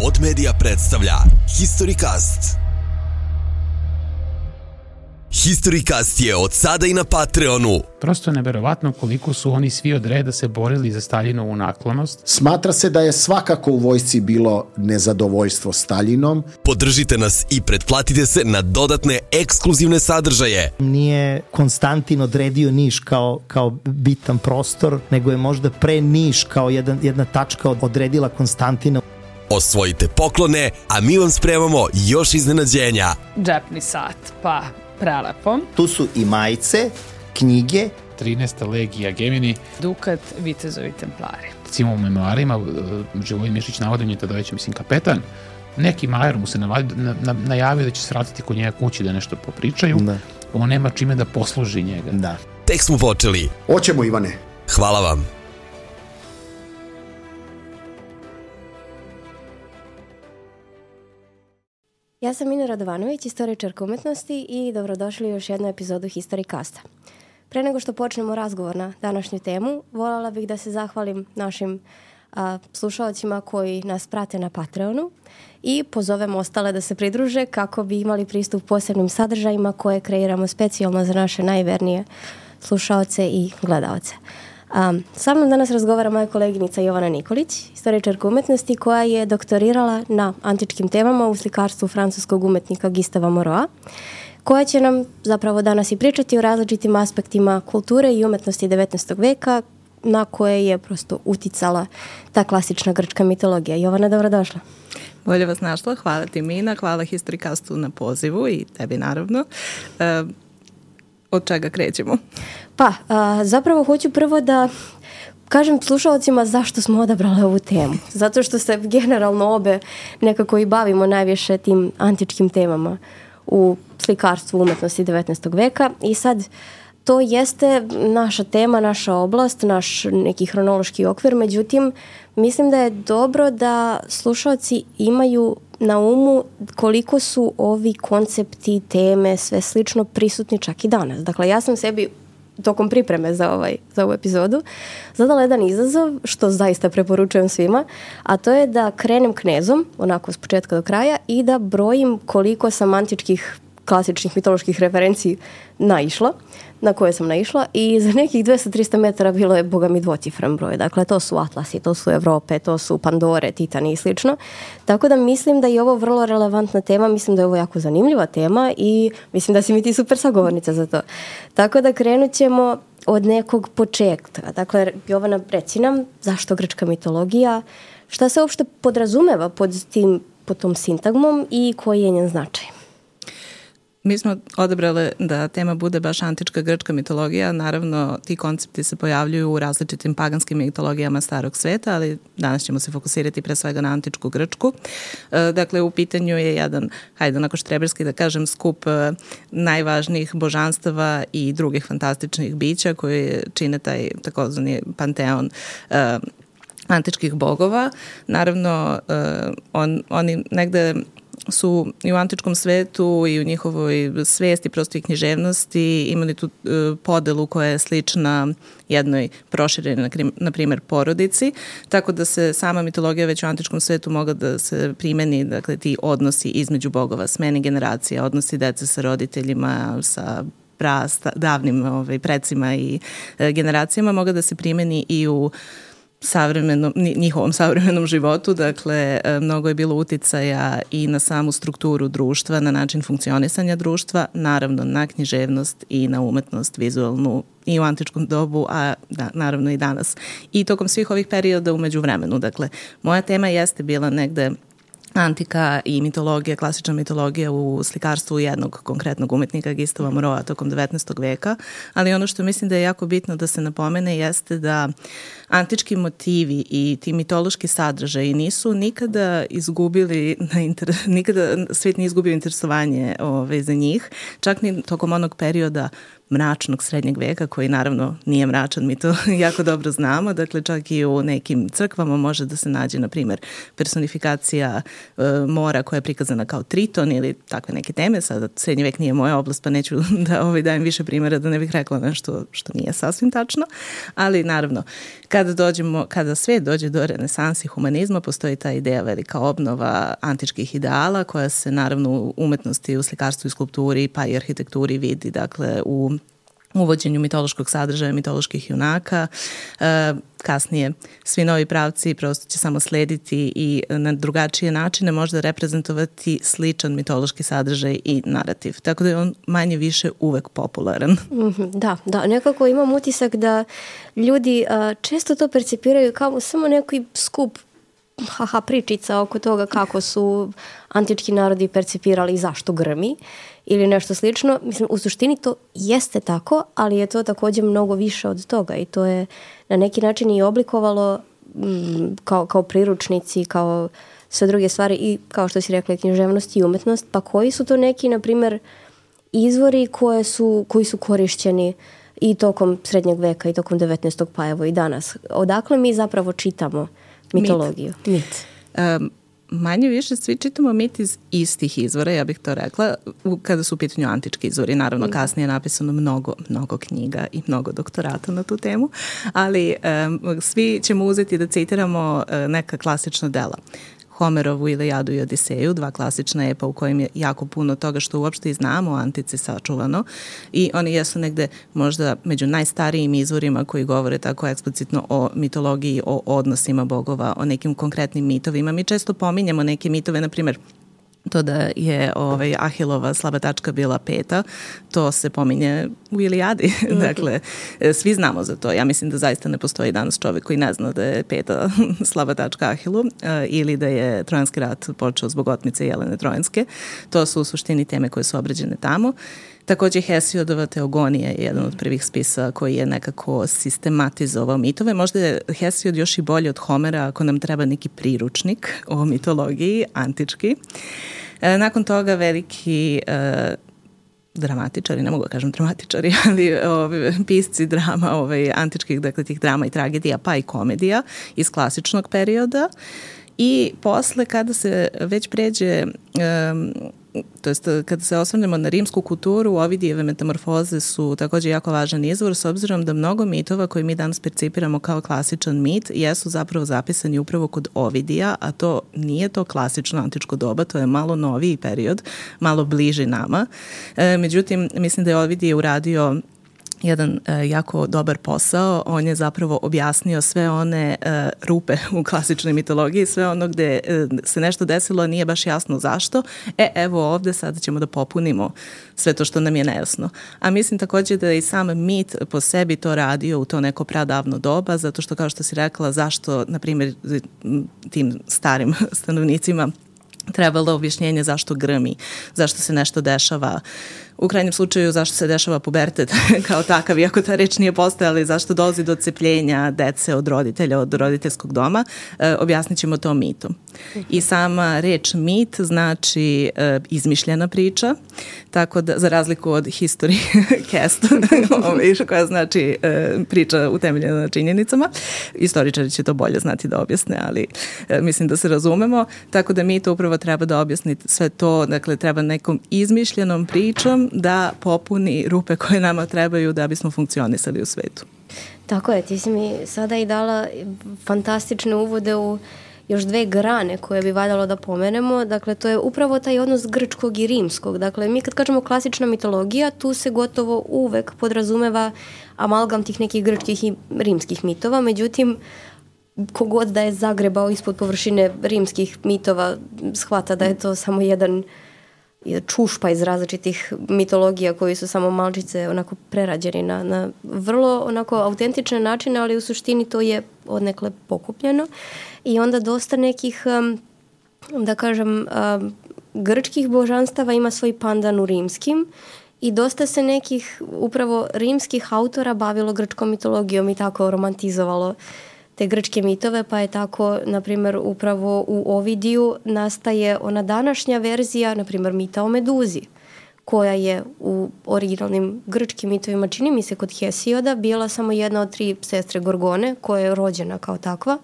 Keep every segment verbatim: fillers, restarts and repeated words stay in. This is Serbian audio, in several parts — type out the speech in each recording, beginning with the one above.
Pod Media predstavlja HistoryCast. HistoryCast je od sada i na Patreonu. Prosto je neverovatno koliko su oni svi od reda se borili za Staljinovu naklonost. Smatra se da je svakako u vojsci bilo nezadovoljstvo Staljinom. Podržite nas i pretplatite se na dodatne ekskluzivne sadržaje. Nije Konstantin odredio Niš kao, kao bitan prostor, nego je možda pre Niš kao jedan, jedna tačka odredila Konstantina. Osvojite poklone, a mi vam spremamo još iznenađenja. Džepni sat, pa prelepo. Tu su i majice, knjige. trinaesta legija Gemini. Dukat, vitezovi templari. Recimo u memoarima Živojin Mišić navodim je tada već, mislim, kapetan. Neki majer mu se navadi, na, na, najavio da će se vratiti kod njega kući da nešto popričaju. Da. On nema čime da posluži njega. Da. Tek smo počeli. Hoćemo, Ivane. Hvala vam. Ja sam Mina Radovanović, istoričarka umetnosti i dobrodošli u još jednu epizodu HistoryCasta. Pre nego što počnemo razgovor na današnju temu, voljela bih da se zahvalim našim a, slušalcima koji nas prate na Patreonu i pozovem ostale da se pridruže kako bi imali pristup posebnim sadržajima koje kreiramo specijalno za naše najvernije slušaoce i gledaoce. Um, sa mnom danas razgovara moja koleginica Jovana Nikolić, istoričarka umetnosti koja je doktorirala na antičkim temama u slikarstvu francuskog umetnika Gustava Moreau, koja će nam zapravo danas i pričati o različitim aspektima kulture i umetnosti devetnaestog veka na koje je prosto uticala ta klasična grčka mitologija. Jovana, dobrodošla. Bolje vas našla, hvala ti Mina, hvala HistoryCastu na pozivu i tebi naravno. Uh, Od čega krećemo? Pa, a, zapravo hoću prvo da kažem slušalcima zašto smo odabrali ovu temu. Zato što se generalno obe nekako i bavimo najviše tim antičkim temama u slikarstvu umetnosti devetnaestog veka i sad to jeste naša tema, naša oblast, naš neki hronološki okvir, međutim mislim da je dobro da slušalci imaju na umu koliko su ovi koncepti, teme, sve slično prisutni čak i danas. Dakle, ja sam sebi tokom pripreme za, ovaj, za ovu epizodu zadala jedan izazov, što zaista preporučujem svima, a to je da krenem knezom, onako s početka do kraja, i da brojim koliko sam antičkih klasičnih mitoloških referenciji naišla, na koje sam naišla i za nekih dvesta do trista metara bilo je, boga mi, dvocifren broj. Dakle, to su Atlasi, to su Evrope, to su Pandore, Titani i slično. Tako da mislim da je ovo vrlo relevantna tema, mislim da je ovo jako zanimljiva tema i mislim da si mi ti super sagovornica za to. Tako da krenut ćemo od nekog početka. Dakle, Jovana, reci nam zašto grčka mitologija, šta se uopšte podrazumeva pod, tim, pod tom sintagmom i koji je njen značaj? Mi smo odabrali da tema bude baš antička grčka mitologija. Naravno, ti koncepti se pojavljuju u različitim paganskim mitologijama starog sveta, ali danas ćemo se fokusirati pre svega na antičku grčku. Dakle, u pitanju je jedan, hajde onako štreberski da kažem, skup najvažnijih božanstava i drugih fantastičnih bića koji čine taj takozvani panteon antičkih bogova. Naravno, on, oni negde su i u antičkom svetu i u njihovoj svesti, prosto i književnosti imali tu uh, podelu koja je slična jednoj proširenoj, na primjer, porodici, tako da se sama mitologija već u antičkom svetu mogla da se primeni, dakle, ti odnosi između bogova, smene generacija, odnosi dece sa roditeljima, sa pra, davnim ovaj, precima i uh, generacijama, mogla da se primeni i u savremenom, njihovom savremenom životu. Dakle, mnogo je bilo uticaja i na samu strukturu društva, na način funkcionisanja društva, naravno na književnost i na umetnost vizualnu i u antičkom dobu, a da, naravno i danas. I tokom svih ovih perioda u međuvremenu. Dakle, moja tema jeste bila negde antika i mitologija, klasična mitologija u slikarstvu jednog konkretnog umetnika Gustava Moreau tokom devetnaestog veka, ali ono što mislim da je jako bitno da se napomene jeste da antički motivi i ti mitološki sadržaji nisu nikada izgubili, na inter... nikada svijet nije izgubio interesovanje ove, za njih, čak ni tokom onog perioda mračnog srednjeg veka, koji naravno nije mračan, mi to jako dobro znamo. Dakle, čak i u nekim crkvama može da se nađe, na primjer, personifikacija e, mora koja je prikazana kao Triton ili takve neke teme. Sada srednji vek nije moja oblast, pa neću da ovaj, dajem više primjera da ne bih rekla nešto što nije sasvim tačno. Ali naravno, kada dođemo, kada svet dođe do renesansi humanizma, postoji ta ideja velika obnova antičkih ideala koja se naravno u umetnosti, u slikarstvu i skulpturi pa i arhitekturi vidi, dakle, u uvođenju mitološkog sadržaja, mitoloških junaka. E, kasnije svi novi pravci prosto će samo slediti i na drugačije načine možda reprezentovati sličan mitološki sadržaj i narativ. Tako da je on manje više uvek popularan. Mm-hmm, da, da, nekako imam utisak da ljudi a, često to percipiraju kao samo neki skup haha pričica oko toga kako su antički narodi percipirali i zašto grmi ili nešto slično. Mislim, u suštini to jeste tako, ali je to također mnogo više od toga i to je na neki način i oblikovalo mm, kao, kao priručnici, kao sve druge stvari i kao što si rekla književnost i umetnost. Pa koji su to neki, na primjer, izvori koje su, koji su korišćeni i tokom srednjeg veka i tokom devetnaestog pa evo i danas? Odakle mi zapravo čitamo mitologiju? Mit. Mit. Um, manje više svi čitamo mit iz istih izvora, ja bih to rekla, kada su u pitanju antički izvori. Naravno, kasnije je napisano mnogo, mnogo knjiga i mnogo doktorata na tu temu, ali um, svi ćemo uzeti da citiramo uh, neka klasična dela. Homerovu Ilijadu i Odiseju, dva klasična epa u kojim je jako puno toga što uopšte i znamo o antici sačuvano i oni jesu negde možda među najstarijim izvorima koji govore tako eksplicitno o mitologiji, o odnosima bogova, o nekim konkretnim mitovima. Mi često pominjamo neke mitove, na primjer, to da je ovaj, Ahilova slaba tačka bila peta, to se pominje u Ilijadi. Mm-hmm. Dakle, svi znamo za to. Ja mislim da zaista ne postoji danas čovjek koji ne zna da je peta slaba tačka Ahilu uh, ili da je Trojanski rat počeo zbog otmice Jelene Trojanske. To su u suštini teme koje su obrađene tamo. Također Hesiodova Teogonija je jedan od prvih spisa koji je nekako sistematizovao mitove. Možda je Hesiod još i bolji od Homera ako nam treba neki priručnik o mitologiji, antički. E, nakon toga veliki e, dramatičari, ne mogu da kažem dramatičari, ali ove, pisci drama, ove, antičkih, dakle tih drama i tragedija, pa i komedija iz klasičnog perioda. I posle kada se već pređe... Um, to jest kada se osvrnemo na rimsku kulturu, Ovidijeve metamorfoze su također jako važan izvor s obzirom da mnogo mitova koji mi danas percipiramo kao klasičan mit jesu zapravo zapisani upravo kod Ovidija, a to nije to klasično antičko doba, to je malo noviji period, malo bliži nama. E, međutim, mislim da je Ovidije uradio jedan e, jako dobar posao. On je zapravo objasnio sve one e, rupe u klasičnoj mitologiji, sve ono gde e, se nešto desilo, a nije baš jasno zašto. E, evo ovde sada ćemo da popunimo sve to što nam je nejasno. A mislim također da je i sam mit po sebi to radio u to neko pradavno doba, zato što kao što si rekla, zašto, na primjer, tim starim stanovnicima trebalo objašnjenje zašto grmi, zašto se nešto dešava. U krajnjem slučaju zašto se dešava pubertet kao takav, iako ta reč nije postojala, i zašto dolazi do odcepljenja dece od roditelja, od roditeljskog doma, e, objasnit ćemo to mitom. I sama reč mit znači e, izmišljena priča, tako da, za razliku od history cast, koja znači e, priča utemeljena na činjenicama. Istoričari će to bolje znati da objasne, ali e, mislim da se razumemo, tako da mit upravo treba da objasni sve to, dakle treba nekom izmišljenom pričom da popuni rupe koje nama trebaju da bismo funkcionisali u svetu. Tako je, ti si mi sada i dala fantastične uvode u još dve grane koje bi valjalo da pomenemo. Dakle, to je upravo taj odnos grčkog i rimskog. Dakle, mi kad kažemo klasična mitologija, tu se gotovo uvek podrazumeva amalgam tih nekih grčkih i rimskih mitova. Međutim, kogod da je zagrebao ispod površine rimskih mitova shvata da je to samo jedan čušpa iz različitih mitologija koji su samo malčice onako prerađeni na, na vrlo onako autentične načine, ali u suštini to je odnekle pokupljeno. I onda dosta nekih, da kažem, grčkih božanstava ima svoj pandan u rimskim i dosta se nekih upravo rimskih autora bavilo grčkom mitologijom i tako romantizovalo te grčke mitove, pa je tako, na primjer, upravo u Ovidiju nastaje ona današnja verzija, na primjer, mita o Meduzi, koja je u originalnim grčkim mitovima, čini mi se kod Hesioda, bila samo jedna od tri sestre Gorgone, koja je rođena kao takva,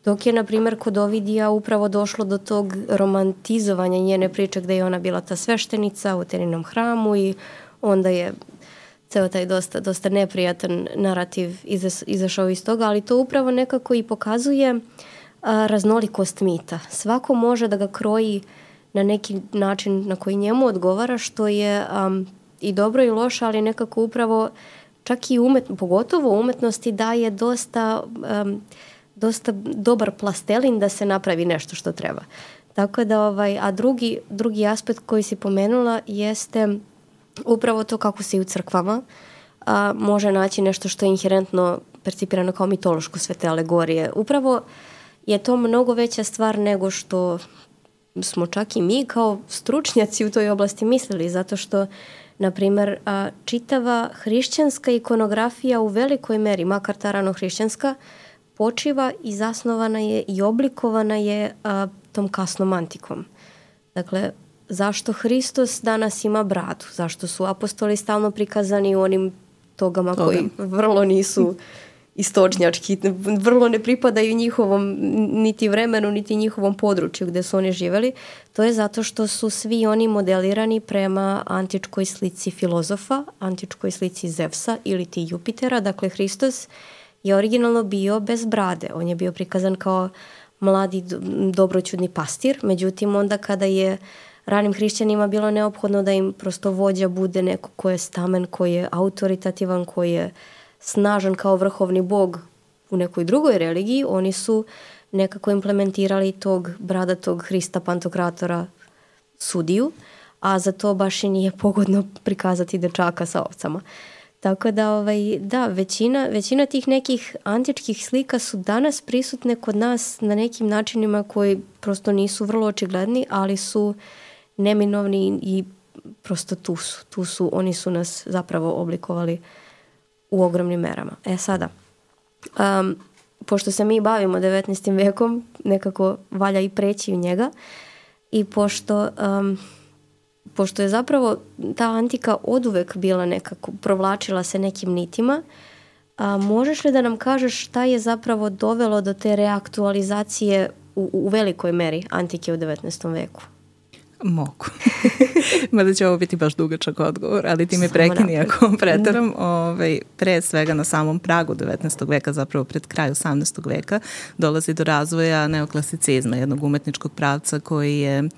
dok je, na primjer, kod Ovidija upravo došlo do tog romantizovanja njene priče gde je ona bila ta sveštenica u Ateninom hramu i onda je ceo taj dosta, dosta neprijatan narativ izašao iz toga, ali to upravo nekako i pokazuje a, raznolikost mita. Svako može da ga kroji na neki način na koji njemu odgovara, što je um, i dobro i loše, ali nekako upravo čak i umet, pogotovo umetnosti daje dosta, um, dosta dobar plastelin da se napravi nešto što treba. Tako da, ovaj, a drugi, drugi aspekt koji si pomenula jeste upravo to kako se i u crkvama a, može naći nešto što je inherentno percipirano kao mitološko, sve te alegorije. Upravo je to mnogo veća stvar nego što smo čak i mi kao stručnjaci u toj oblasti mislili, zato što, na primjer, a, čitava hrišćanska ikonografija u velikoj meri, makar ta rano-hrišćanska, počiva i zasnovana je i oblikovana je a, tom kasnom antikom. Dakle, zašto Hristos danas ima bradu? Zašto su apostoli stalno prikazani u onim togama Toga. koji vrlo nisu istočnjački, vrlo ne pripadaju njihovom niti vremenu, niti njihovom području gde su oni živeli? To je zato što su svi oni modelirani prema antičkoj slici filozofa, antičkoj slici Zevsa ili ti Jupitera. Dakle, Hristos je originalno bio bez brade. On je bio prikazan kao mladi dobroćudni pastir. Međutim, onda kada je ranim hrišćanima bilo neophodno da im prosto vođa bude neko ko je stamen, koji je autoritativan, koji je snažan kao vrhovni bog u nekoj drugoj religiji, oni su nekako implementirali tog bradatog Hrista Pantokratora sudiju, a za to baš i nije pogodno prikazati dečaka sa ovcama. Tako da, ovaj, da, većina, većina tih nekih antičkih slika su danas prisutne kod nas na nekim načinima koji prosto nisu vrlo očigledni, ali su neminovni i prosto tu su. Tu su, oni su nas zapravo oblikovali u ogromnim merama. E sada, um, pošto se mi bavimo devetnaestim vekom, nekako valja i preći u njega i pošto... Um, pošto je zapravo ta antika oduvek bila nekako, provlačila se nekim nitima, a možeš li da nam kažeš šta je zapravo dovelo do te reaktualizacije u, u velikoj meri antike u devetnaestom veku? Mogu. Mada će ovo biti baš dugačak odgovor, ali ti me prekini ako pretaram. Ovaj, pre svega na samom pragu devetnaestog veka, zapravo pred kraj osamnaestog veka, dolazi do razvoja neoklasicizma, jednog umetničkog pravca koji je...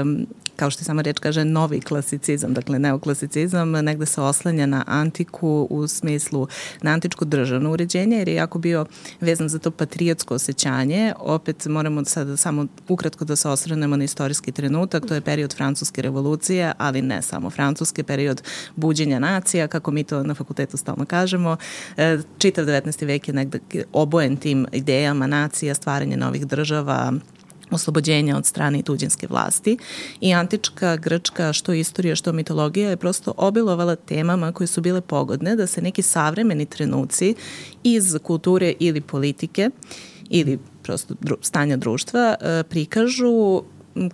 Um, kao što sama reč kaže, novi klasicizam, dakle neoklasicizam, negde se oslanja na antiku u smislu na antičko državno uređenje, jer je jako bio vezan za to patriotsko osjećanje. Opet moramo sada samo ukratko da se osvrnemo na istorijski trenutak, to je period Francuske revolucije, ali ne samo Francuske, period buđenja nacija, kako mi to na fakultetu stalno kažemo. Čitav devetnaesti vek je negde obojen tim idejama nacija, stvaranje novih država, oslobođenja od strane tuđinske vlasti i antička Grčka, što istorija, što mitologija je prosto obilovala temama koje su bile pogodne da se neki savremeni trenuci iz kulture ili politike ili prosto dru, stanja društva e, prikažu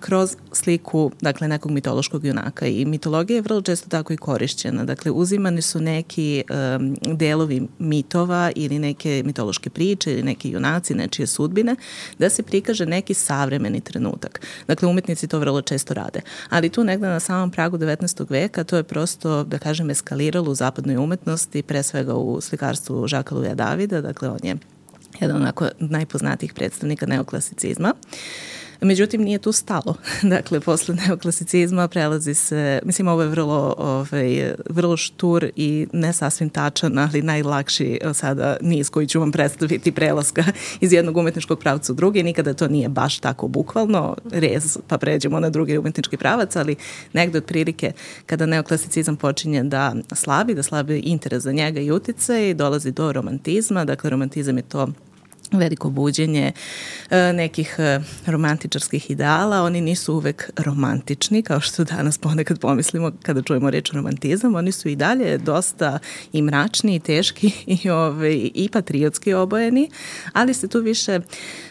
kroz sliku, dakle, nekog mitološkog junaka i mitologija je vrlo često tako i korišćena. Dakle, uzimani su neki um, delovi mitova ili neke mitološke priče ili neki junaci, nečije sudbine, da se prikaže neki savremeni trenutak. Dakle, umetnici to vrlo često rade. Ali tu negde na samom pragu devetnaestog veka to je prosto, da kažem, eskaliralo u zapadnoj umetnosti, pre svega u slikarstvu Žaka Louisa Davida, dakle, on je jedan onako najpoznatijih predstavnika neoklasicizma. Međutim, nije tu stalo. Dakle, posle neoklasicizma prelazi se, mislim, ovo je vrlo, ovaj, vrlo štur i ne sasvim tačan, ali najlakši sada niz koji ću vam predstaviti prelaska iz jednog umetničkog pravca u drugi. Nikada to nije baš tako bukvalno, rez, pa pređemo na drugi umetnički pravac, ali negde otprilike kada neoklasicizam počinje da slabi, da slabi interes za njega i uticaj, dolazi do romantizma. Dakle, romantizam je to veliko buđenje nekih romantičarskih ideala. Oni nisu uvek romantični, kao što danas ponekad pomislimo kada čujemo reč romantizam. Oni su i dalje dosta i mračni, i teški, i, ove, i patriotski obojeni, ali se tu više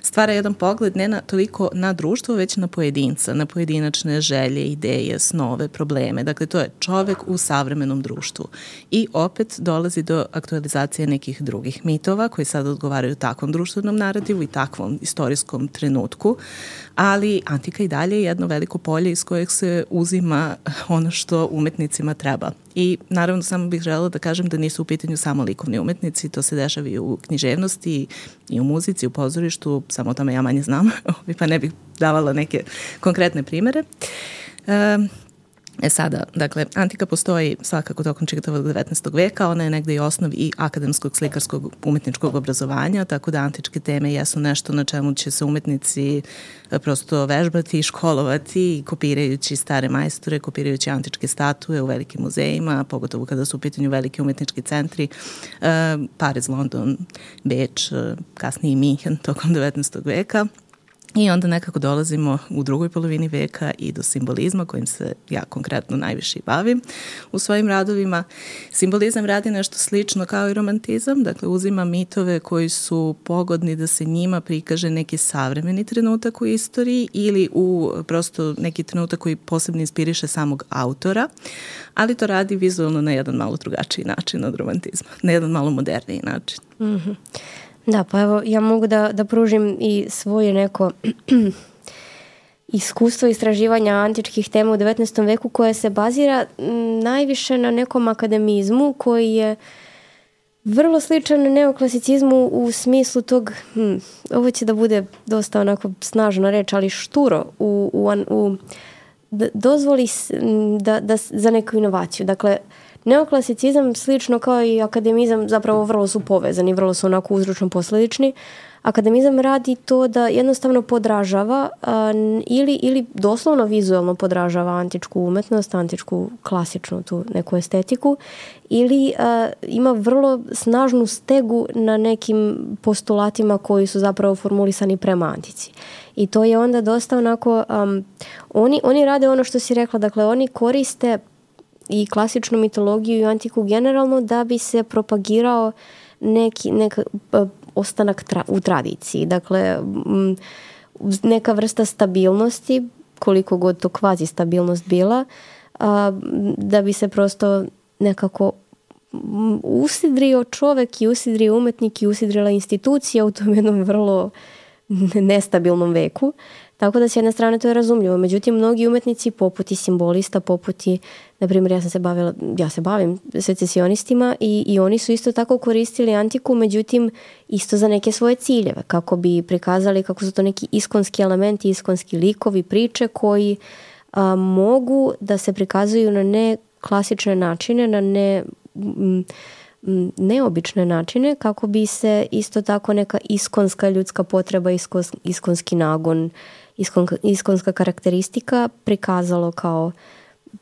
stvara jedan pogled ne na, toliko na društvo, već na pojedinca, na pojedinačne želje, ideje, snove, probleme. Dakle, to je čovek u savremenom društvu. I opet dolazi do aktualizacije nekih drugih mitova koji sad odgovaraju takvom društvenom narativu i takvom istorijskom trenutku, ali antika i dalje je jedno veliko polje iz kojeg se uzima ono što umetnicima treba. I naravno samo bih želela da kažem da nisu u pitanju samo likovni umetnici, to se dešava i u književnosti i u muzici, u pozorištu, samo o tome ja manje znam, pa ne bih davala neke konkretne primere. Um, E sada, dakle, antika postoji svakako tokom čitavog devetnaestog veka, ona je negde i osnov i akademskog slikarskog umetničkog obrazovanja, tako da antičke teme jesu nešto na čemu će se umetnici prosto vežbati, školovati, kopirajući stare majstore, kopirajući antičke statue u velikim muzejima, pogotovo kada su u pitanju veliki umetnički centri, Pariz, London, Beč, kasnije Minhen tokom devetnaestog veka. I onda nekako dolazimo u drugoj polovini veka i do simbolizma kojim se ja konkretno najviše bavim u svojim radovima. Simbolizam radi nešto slično kao i romantizam, dakle uzima mitove koji su pogodni da se njima prikaže neki savremeni trenutak u istoriji ili u prosto neki trenutak koji posebno inspiriše samog autora, ali to radi vizualno na jedan malo drugačiji način od romantizma, na jedan malo moderniji način. Mhm. Da, pa evo, ja mogu da, da pružim i svoje neko iskustvo istraživanja antičkih tema u devetnaestom veku koje se bazira najviše na nekom akademizmu koji je vrlo sličan neoklasicizmu u smislu tog, hm, ovo će da bude dosta onako snažna reč, ali šturo u, u, u da dozvoli da, da, za neku inovaciju. Dakle, neoklasicizam slično kao i akademizam zapravo vrlo su povezani, vrlo su onako uzročno posledični. Akademizam radi to da jednostavno podražava a, ili, ili doslovno vizualno podražava antičku umetnost, antičku klasičnu tu neku estetiku ili a, ima vrlo snažnu stegu na nekim postulatima koji su zapravo formulisani prema antici. I to je onda dosta onako, um, oni, oni rade ono što si rekla, dakle oni koriste i klasičnu mitologiju i antiku generalno da bi se propagirao neki, neka ostanak tra, u tradiciji. Dakle, neka vrsta stabilnosti, koliko god to kvazi stabilnost bila, a, da bi se prosto nekako usidrio čovek i usidrio umetnik i usidrila institucija u tom jednom vrlo nestabilnom veku. Tako da s jedne strane to je razumljivo. Međutim, mnogi umetnici poput i simbolista, poput i, na primjer, ja sam se bavila, ja se bavim secesionistima i, i oni su isto tako koristili antiku, međutim, isto za neke svoje ciljeve, kako bi prikazali kako su to neki iskonski elementi, iskonski likovi, priče koji a, mogu da se prikazuju na ne klasične načine, na ne m, neobične načine, kako bi se isto tako neka iskonska ljudska potreba, iskons, iskonski nagon, iskon, iskonska karakteristika prikazalo kao,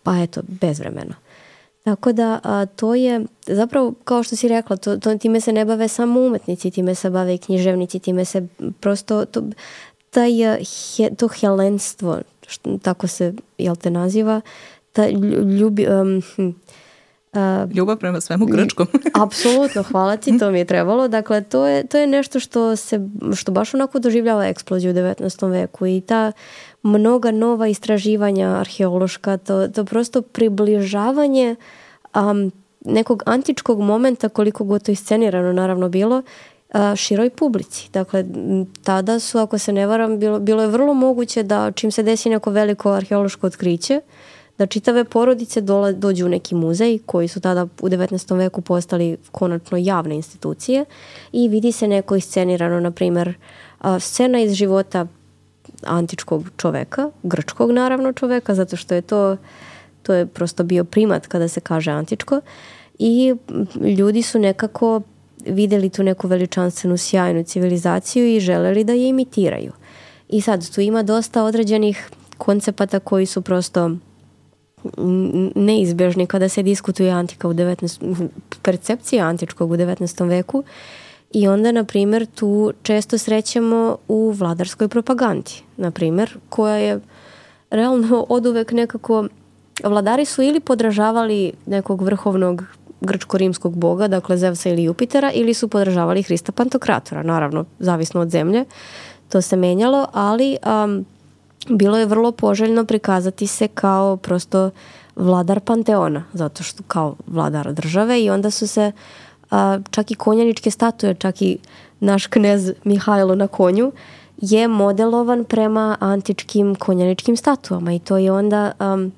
pa eto, bezvremeno. Tako da a, to je, zapravo, kao što si rekla, to, to, time se ne bave samo umetnici, time se bave i književnici, time se prosto, to, taj, he, to helenstvo, što, tako se, jel te naziva, ta ljubi... Um, Uh, Ljubav prema svemu grčkom. Apsolutno, hvala ti, to mi je trebalo. Dakle, to je, to je nešto što se, što baš onako doživljava eksploziju u devetnaestom veku i ta mnoga nova istraživanja arheološka, to, to prosto približavanje um, nekog antičkog momenta, koliko god to iscenirano naravno bilo, uh, široj publici. Dakle, tada su, ako se ne varam, bilo, bilo je vrlo moguće da čim se desi neko veliko arheološko otkriće, da čitave porodice dola, dođu u neki muzej koji su tada u devetnaestom veku postali konačno javne institucije i vidi se neko iscenirano, na primjer, scena iz života antičkog čoveka, grčkog naravno čoveka, zato što je to, to je prosto bio primat kada se kaže antičko i ljudi su nekako vidjeli tu neku veličanstvenu sjajnu civilizaciju i želeli da je imitiraju. I sad tu ima dosta određenih koncepata koji su prosto neizbježni kada se diskutuje antika u devetnaestom percepcija antičkog u devetnaestom veku I onda, na primjer, tu često srećemo u vladarskoj propagandi, na primjer, koja je realno oduvek nekako, vladari su ili podražavali nekog vrhovnog grčko-rimskog boga, dakle Zevsa ili Jupitera, ili su podražavali Hrista Pantokratora, naravno, zavisno od zemlje, to se menjalo, ali um, bilo je vrlo poželjno prikazati se kao prosto vladar panteona, zato što kao vladar države i onda su se a, čak i konjaničke statue, čak i naš knez Mihajlo na konju je modelovan prema antičkim konjaničkim statuama i to je onda um,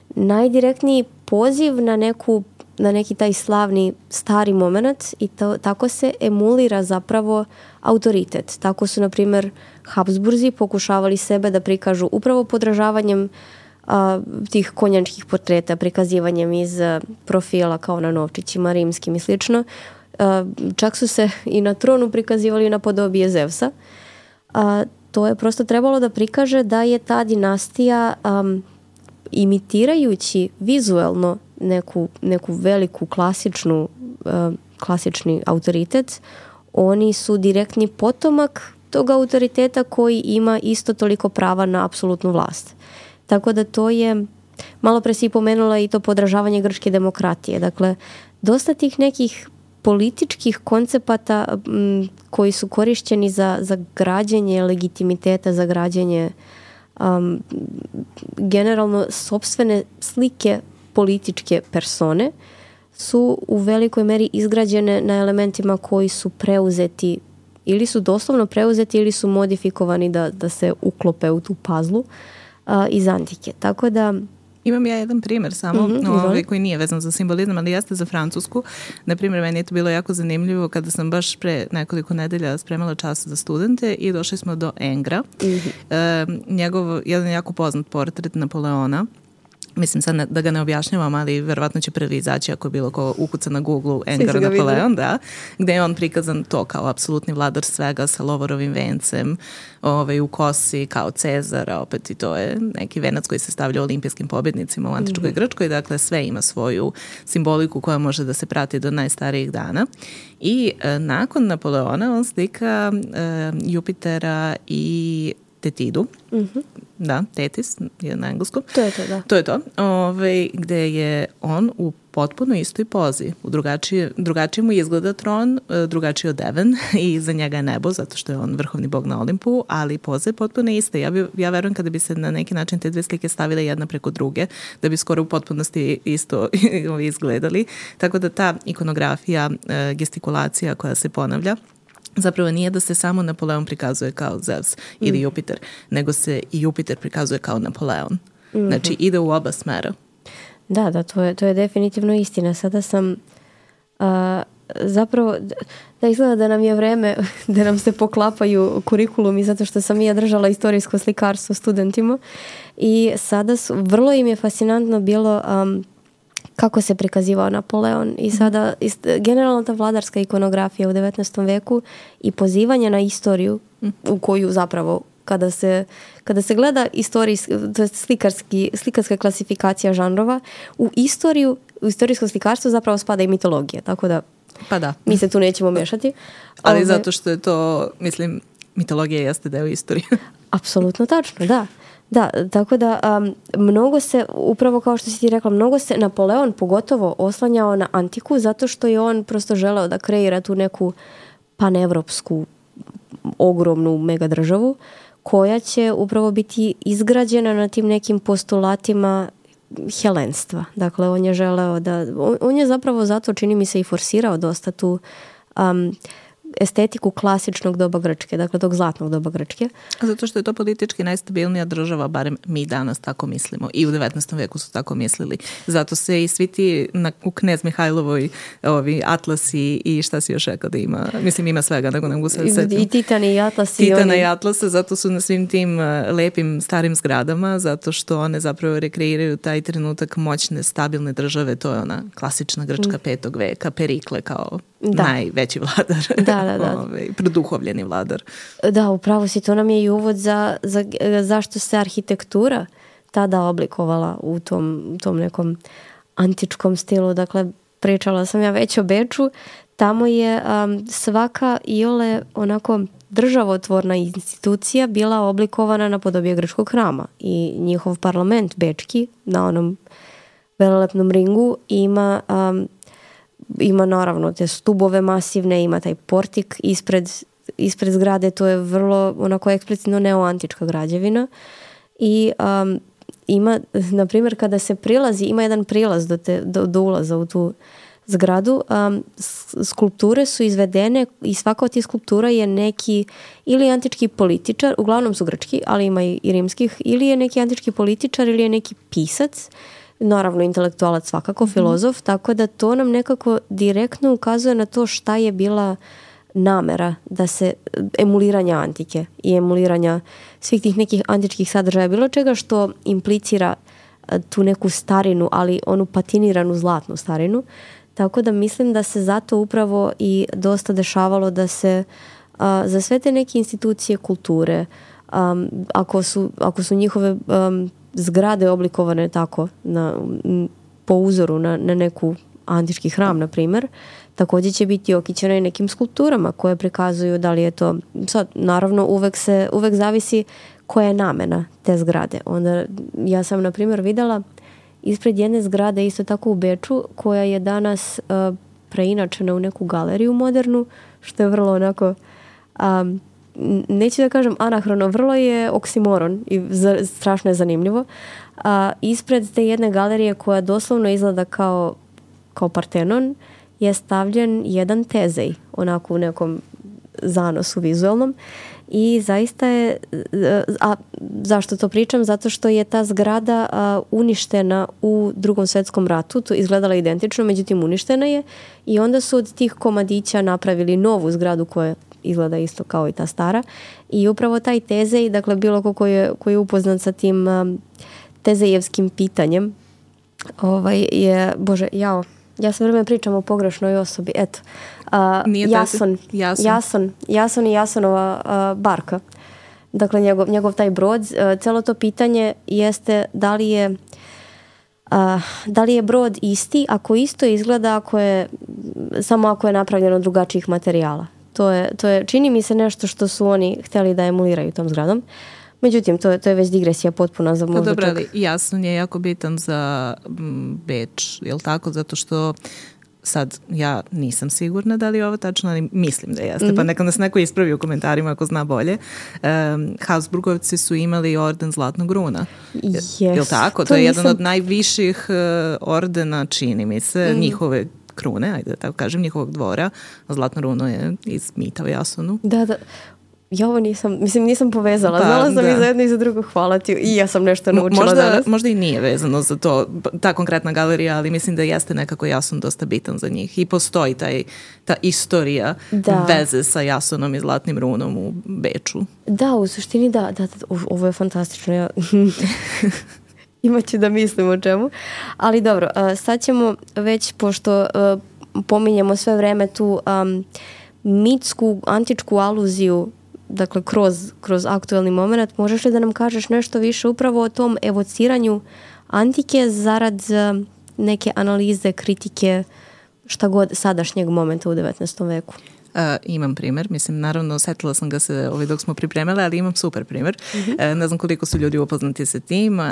najdirektniji poziv na neku na neki taj slavni stari moment i to, tako se emulira zapravo autoritet. Tako su, na primjer, Habsburzi pokušavali sebe da prikažu upravo podražavanjem a, tih konjančkih portreta, prikazivanjem iz a, profila kao na novčićima rimskim i slično. A, čak su se i na tronu prikazivali na podobije Zevsa. A, to je prosto trebalo da prikaže da je ta dinastija a, imitirajući vizuelno neku, neku veliku klasičnu, uh, klasični autoritet, oni su direktni potomak tog autoriteta koji ima isto toliko prava na apsolutnu vlast. Tako da to je, malo pre si pomenula i to podražavanje grčke demokratije. Dakle, dosta tih nekih političkih koncepata m, koji su korišćeni za, za građenje legitimiteta, za građenje um, generalno sopstvene slike političke persone su u velikoj meri izgrađene na elementima koji su preuzeti ili su doslovno preuzeti ili su modifikovani da, da se uklope u tu pazlu uh, iz antike. Tako da imam ja jedan primjer samo, mm-hmm, ovaj, koji nije vezan za simbolizam, ali jeste za Francusku. Na primjer, meni je to bilo jako zanimljivo kada sam baš pre nekoliko nedelja spremala čas za studente i došli smo do Engra. Mm-hmm. E, njegov, jedan jako poznat portret Napoleona. Mislim sad ne, da ga ne objašnjavam, ali verovatno će prvi izaći ako je bilo ko ukuca na Google Engar Napoleon, da, gde je on prikazan to kao apsolutni vladar svega sa lovorovim vencem, ovaj, u kosi kao Cezara, opet i to je neki venac koji se stavlja olimpijskim pobjednicima u antičkoj Grčkoj, dakle sve ima svoju simboliku koja može da se prati do najstarijih dana. I e, nakon Napoleona on slika e, Jupitera i Tetidu, mm-hmm. da, Tetis je na engleskom. To je to, da. To je to, Ove, gde je on u potpuno istoj pozi. U drugačije, drugačije mu izgleda tron, drugačije od Devon i za njega je nebo, zato što je on vrhovni bog na Olimpu, ali poza je potpuno ista. Ja, bi, ja verujem kada bi se na neki način te dve slike stavile jedna preko druge, da bi skoro u potpunosti isto izgledali. Tako da ta ikonografija, gestikulacija koja se ponavlja, zapravo nije da se samo Napoleon prikazuje kao Zeus ili Jupiter, nego se i Jupiter prikazuje kao Napoleon. Mm-hmm. Znači, ide u oba smera. Da, da, to je, to je definitivno istina. Sada sam uh, zapravo, da izgleda da nam je vreme, da nam se poklapaju kurikulumi, zato što sam ja držala istorijsko slikarstvo studentima i sada su, vrlo im je fascinantno bilo um, kako se prikazivao Napoleon i sada ist, generalno ta vladarska ikonografija u devetnaestom veku i pozivanje na istoriju u koju zapravo kada se, kada se gleda istorijski, to je slikarski, slikarska klasifikacija žanrova, u istoriju, u istorijsko slikarstvo zapravo spada i mitologija, tako da pa da. Mi se tu nećemo mešati. Ali Ove, zato što je to, mislim, mitologija jeste deo istorije. Apsolutno tačno, da. Da, tako da um, mnogo se, upravo kao što si ti rekla, mnogo se Napoleon pogotovo oslanjao na antiku zato što je on prosto želeo da kreira tu neku panevropsku ogromnu mega državu koja će upravo biti izgrađena na tim nekim postulatima helenstva. Dakle, on je želeo da, on, on je zapravo zato, čini mi se, i forsirao dosta tu um, estetiku klasičnog doba Grčke, dakle tog zlatnog doba Grčke. Zato što je to politički najstabilnija država, barem mi danas tako mislimo. I u devetnaestom veku su tako mislili. Zato se i svi ti na, u Knez Mihajlovoj ovi atlasi i šta si još rekao da ima, mislim ima svega, nego ne mogu se setim. I Titani i atlasi. Titana oni... i atlase, zato su na svim tim lepim starim zgradama, zato što one zapravo rekreiraju taj trenutak moćne, stabilne države, to je ona klasična Grčka petog veka, Perikle kao da. Najveći vladar. Da, da, da. Ove, produhovljeni vladar. Da, upravo si, to nam je i uvod za, za zašto se arhitektura tada oblikovala u tom, tom nekom antičkom stilu. Dakle, pričala sam ja već o Beču, tamo je um, svaka iole onako državotvorna institucija bila oblikovana na podobje grčkog hrama i njihov parlament bečki na onom velelepnom ringu ima um, ima naravno te stubove masivne, ima taj portik ispred, ispred zgrade, to je vrlo onako eksplicitno neoantička građevina i um, ima, na primjer, kada se prilazi, ima jedan prilaz do, te, do, do ulaza u tu zgradu, um, skulpture su izvedene i svaka od tih skulptura je neki ili antički političar, uglavnom su grčki, ali ima i, i rimskih, ili je neki antički političar ili je neki pisac, naravno intelektualac svakako, filozof, mm. tako da to nam nekako direktno ukazuje na to šta je bila namera da se emuliranja antike i emuliranja svih tih nekih antičkih sadržaja, bilo čega što implicira tu neku starinu, ali onu patiniranu zlatnu starinu. Tako da mislim da se zato upravo i dosta dešavalo da se a, za sve te neke institucije kulture, um, ako, su, ako su njihove um, zgrade oblikovane tako na, po uzoru na, na neku antički hram, na primjer, također će biti okićeno i nekim skulpturama koje prikazuju da li je to, sad naravno uvek se, uvek zavisi koja je namena te zgrade. Onda ja sam na primjer videla ispred jedne zgrade isto tako u Beču koja je danas uh, preinačena u neku galeriju modernu, što je vrlo onako um, neću da kažem anahrono, vrlo je oksimoron i za, strašno je zanimljivo. A, ispred te jedne galerije koja doslovno izgleda kao, kao Partenon je stavljen jedan tezej, onako u nekom zanosu vizualnom i zaista je, a zašto to pričam? Zato što je ta zgrada a, uništena u Drugom svjetskom ratu, to izgledala identično, međutim uništena je i onda su od tih komadića napravili novu zgradu koja izgleda isto kao i ta stara i upravo taj tezej, dakle bilo ko koji je, koji je upoznat sa tim um, tezejevskim pitanjem ovaj je, bože, jao ja sve vreme pričam o pogrešnoj osobi, eto uh, Jason, Jason. Jason Jason i Jasonova uh, barka, dakle njegov, njegov taj brod, uh, celo to pitanje jeste da li je Uh, da li je brod isti, ako isto izgleda ako je, samo ako je napravljeno od drugačijih materijala. To je, to je, čini mi se nešto što su oni htjeli da emuliraju tom zgradom. Međutim, to je, to je već digresija potpuna za možda dobro, čak. ali Jason je jako bitan za Beč, je li tako? Zato što sad ja nisam sigurna da li je ovo tačno, ali mislim da jeste, mm-hmm. pa neka nas neko ispravi u komentarima ako zna bolje. Um, Habsburgovci su imali orden Zlatnog runa. Yes. Je li tako? To, to je nisam... jedan od najviših uh, ordena, čini mi se, mm. njihove krune, ajde da tako kažem, njihovog dvora. Zlatno runo je iz mita o Jasonu. Da, da. Ja ovo nisam, mislim nisam povezala. Pa, znala sam da. I za jedno i za drugo, hvala ti. I ja sam nešto naučila možda, danas. Možda i nije vezano za to, ta konkretna galerija, ali mislim da jeste nekako Jason dosta bitan za njih. I postoji taj, ta istorija da. Veze sa Jasonom i Zlatnim runom u Beču. Da, u suštini da. da, da ovo je fantastično. Ja... Imaću da mislim o čemu. Ali dobro, sad ćemo već, pošto pominjemo sve vreme tu um, mitsku, antičku aluziju, dakle kroz, kroz aktuelni moment, možeš li da nam kažeš nešto više upravo o tom evociranju antike zarad neke analize, kritike, šta god sadašnjeg momenta u devetnaestom veku? Uh, imam primjer, mislim, naravno setila sam ga se ovaj dok smo pripremale, ali imam super primjer. Mm-hmm. Uh, ne znam koliko su ljudi upoznati sa tim. Uh,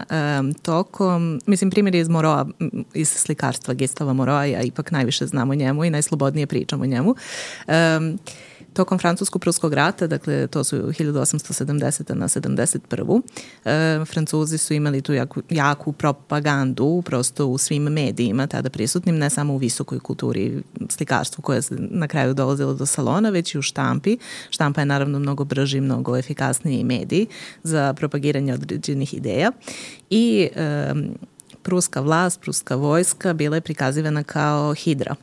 tokom, mislim, primjer je iz Moroa, iz slikarstva Gustava Moroa, ja ipak najviše znam o njemu i najslobodnije pričam o njemu. Um, Tokom Francusko-Pruskog rata, dakle to su hiljadu osamsto sedamdesete na sedamdeset prvu. E, Francuzi su imali tu jaku, jaku propagandu prosto u svim medijima tada prisutnim, ne samo u visokoj kulturi slikarstvu koja se na kraju dolazila do salona, već i u štampi. Štampa je naravno mnogo brži, mnogo efikasniji medij za propagiranje određenih ideja. I e, pruska vlast, pruska vojska bila je prikazivana kao hidra.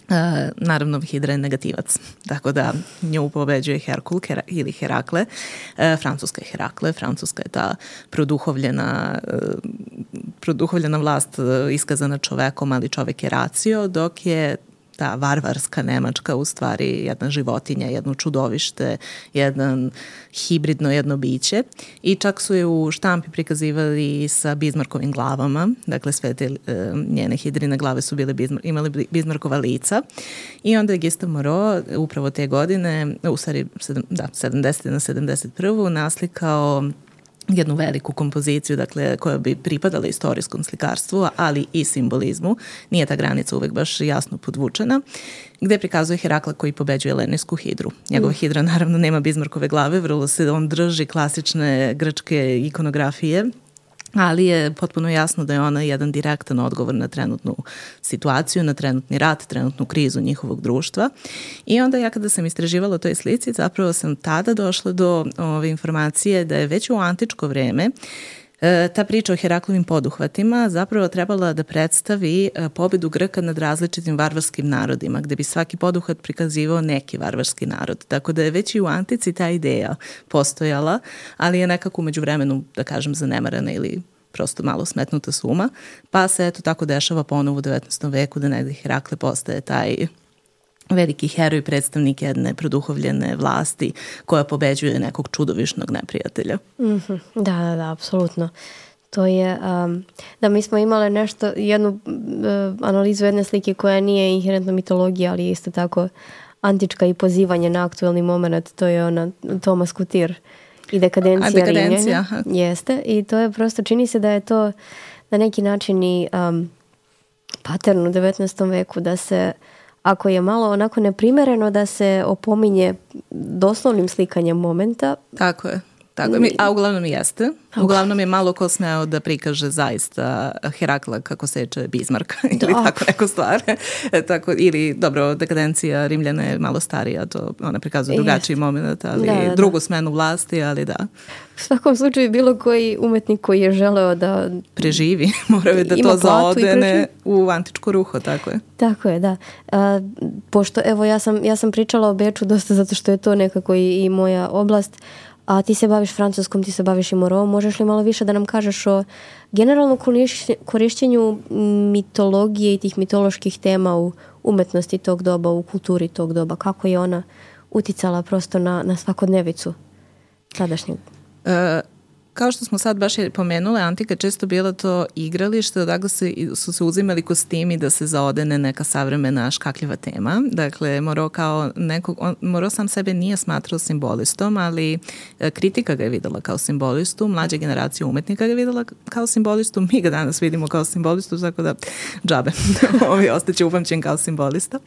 Uh, naravno, hidra je negativac, tako da nju pobeđuje Herkul Hera, ili Herakle. Uh, Francuska je Herakle, Francuska je ta produhovljena, uh, produhovljena vlast uh, iskazana čovekom, ali čovek je racio, dok je ta varvarska Nemačka u stvari jedna životinja, jedno čudovište, jedan hibridno jedno biće i čak su je u štampi prikazivali sa Bismarckovim glavama, dakle sve te e, njene hidrine glave su bile Bismar, imali Bismarckova lica i onda je Gustave Moreau upravo te godine, u stvari da, sedamdesete na sedamdeset prvu naslikao jednu veliku kompoziciju, dakle, koja bi pripadala istorijskom slikarstvu, ali i simbolizmu. Nije ta granica uvek baš jasno podvučena, gde prikazuje Herakla koji pobeđuje Lenijsku hidru. Njegova mm. hidra naravno nema Bismarckove glave, vrlo se on drži klasične grčke ikonografije, ali je potpuno jasno da je ona jedan direktan odgovor na trenutnu situaciju, na trenutni rat, trenutnu krizu njihovog društva. I onda ja kada sam istraživala o toj slici, zapravo sam tada došla do ove informacije da je već u antičko vreme e, ta priča o Heraklovim poduhvatima zapravo trebala da predstavi e, pobedu Grka nad različitim varvarskim narodima, gde bi svaki poduhvat prikazivao neki varvarski narod. Tako da je već i u antici ta ideja postojala, ali je nekako umeđu vremenu, da kažem, zanemarana ili prosto malo smetnuta suma, pa se eto tako dešava ponovo u devetnaestom veku da negde Herakle postaje taj veliki heroj, predstavnik jedne produhovljene vlasti koja pobeđuje nekog čudovišnog neprijatelja. Mm-hmm. Da, da, da, apsolutno. To je, um, da mi smo imale nešto, jednu uh, analizu jedne slike koja nije inherentna mitologija, ali isto tako antička i pozivanje na aktuelni moment, to je ona Thomas Couture i dekadencija, dekadencija Rimljana. Jeste, i to je prosto, čini se da je to na neki način i um, pattern u devetnaestom veku, da se, ako je malo onako neprimereno, da se opominje doslovnim slikanjem momenta. Tako je. Tako, a uglavnom jeste. Uglavnom je malo ko smeo da prikaže zaista Herakla kako seče Bismarcka ili da. Tako neko stvar. Tako, ili, dobro, dekadencija Rimljana je malo starija, to ona prikazuje drugačiji moment, ali da, da, drugu da. smenu vlasti, ali da. U svakom slučaju bilo koji umetnik koji je želeo da preživi, morao je da to zaodene u antičko ruho, tako je. Tako je, da. A, pošto, evo, ja sam, ja sam pričala o Beču dosta zato što je to nekako i, i moja oblast, a ti se baviš francuskom, ti se baviš i Moreau, možeš li malo više da nam kažeš o generalnom korišćenju mitologije i tih mitoloških tema u umetnosti tog doba, u kulturi tog doba, kako je ona uticala prosto na, na svakodnevicu tadašnjeg? E, kao što smo sad baš pomenule, antika često bila to igralište, odakle se, su se uzimali kostimi da se zaodene neka savremena škakljiva tema. Dakle, Moreau kao nekog, on, Moreau sam sebe nije smatrao simbolistom, ali kritika ga je videla kao simbolistu, mlađa generacija umetnika ga je videla kao simbolistu, mi ga danas vidimo kao simbolistu, tako da džabe, ovi ostaće upamćen kao simbolista.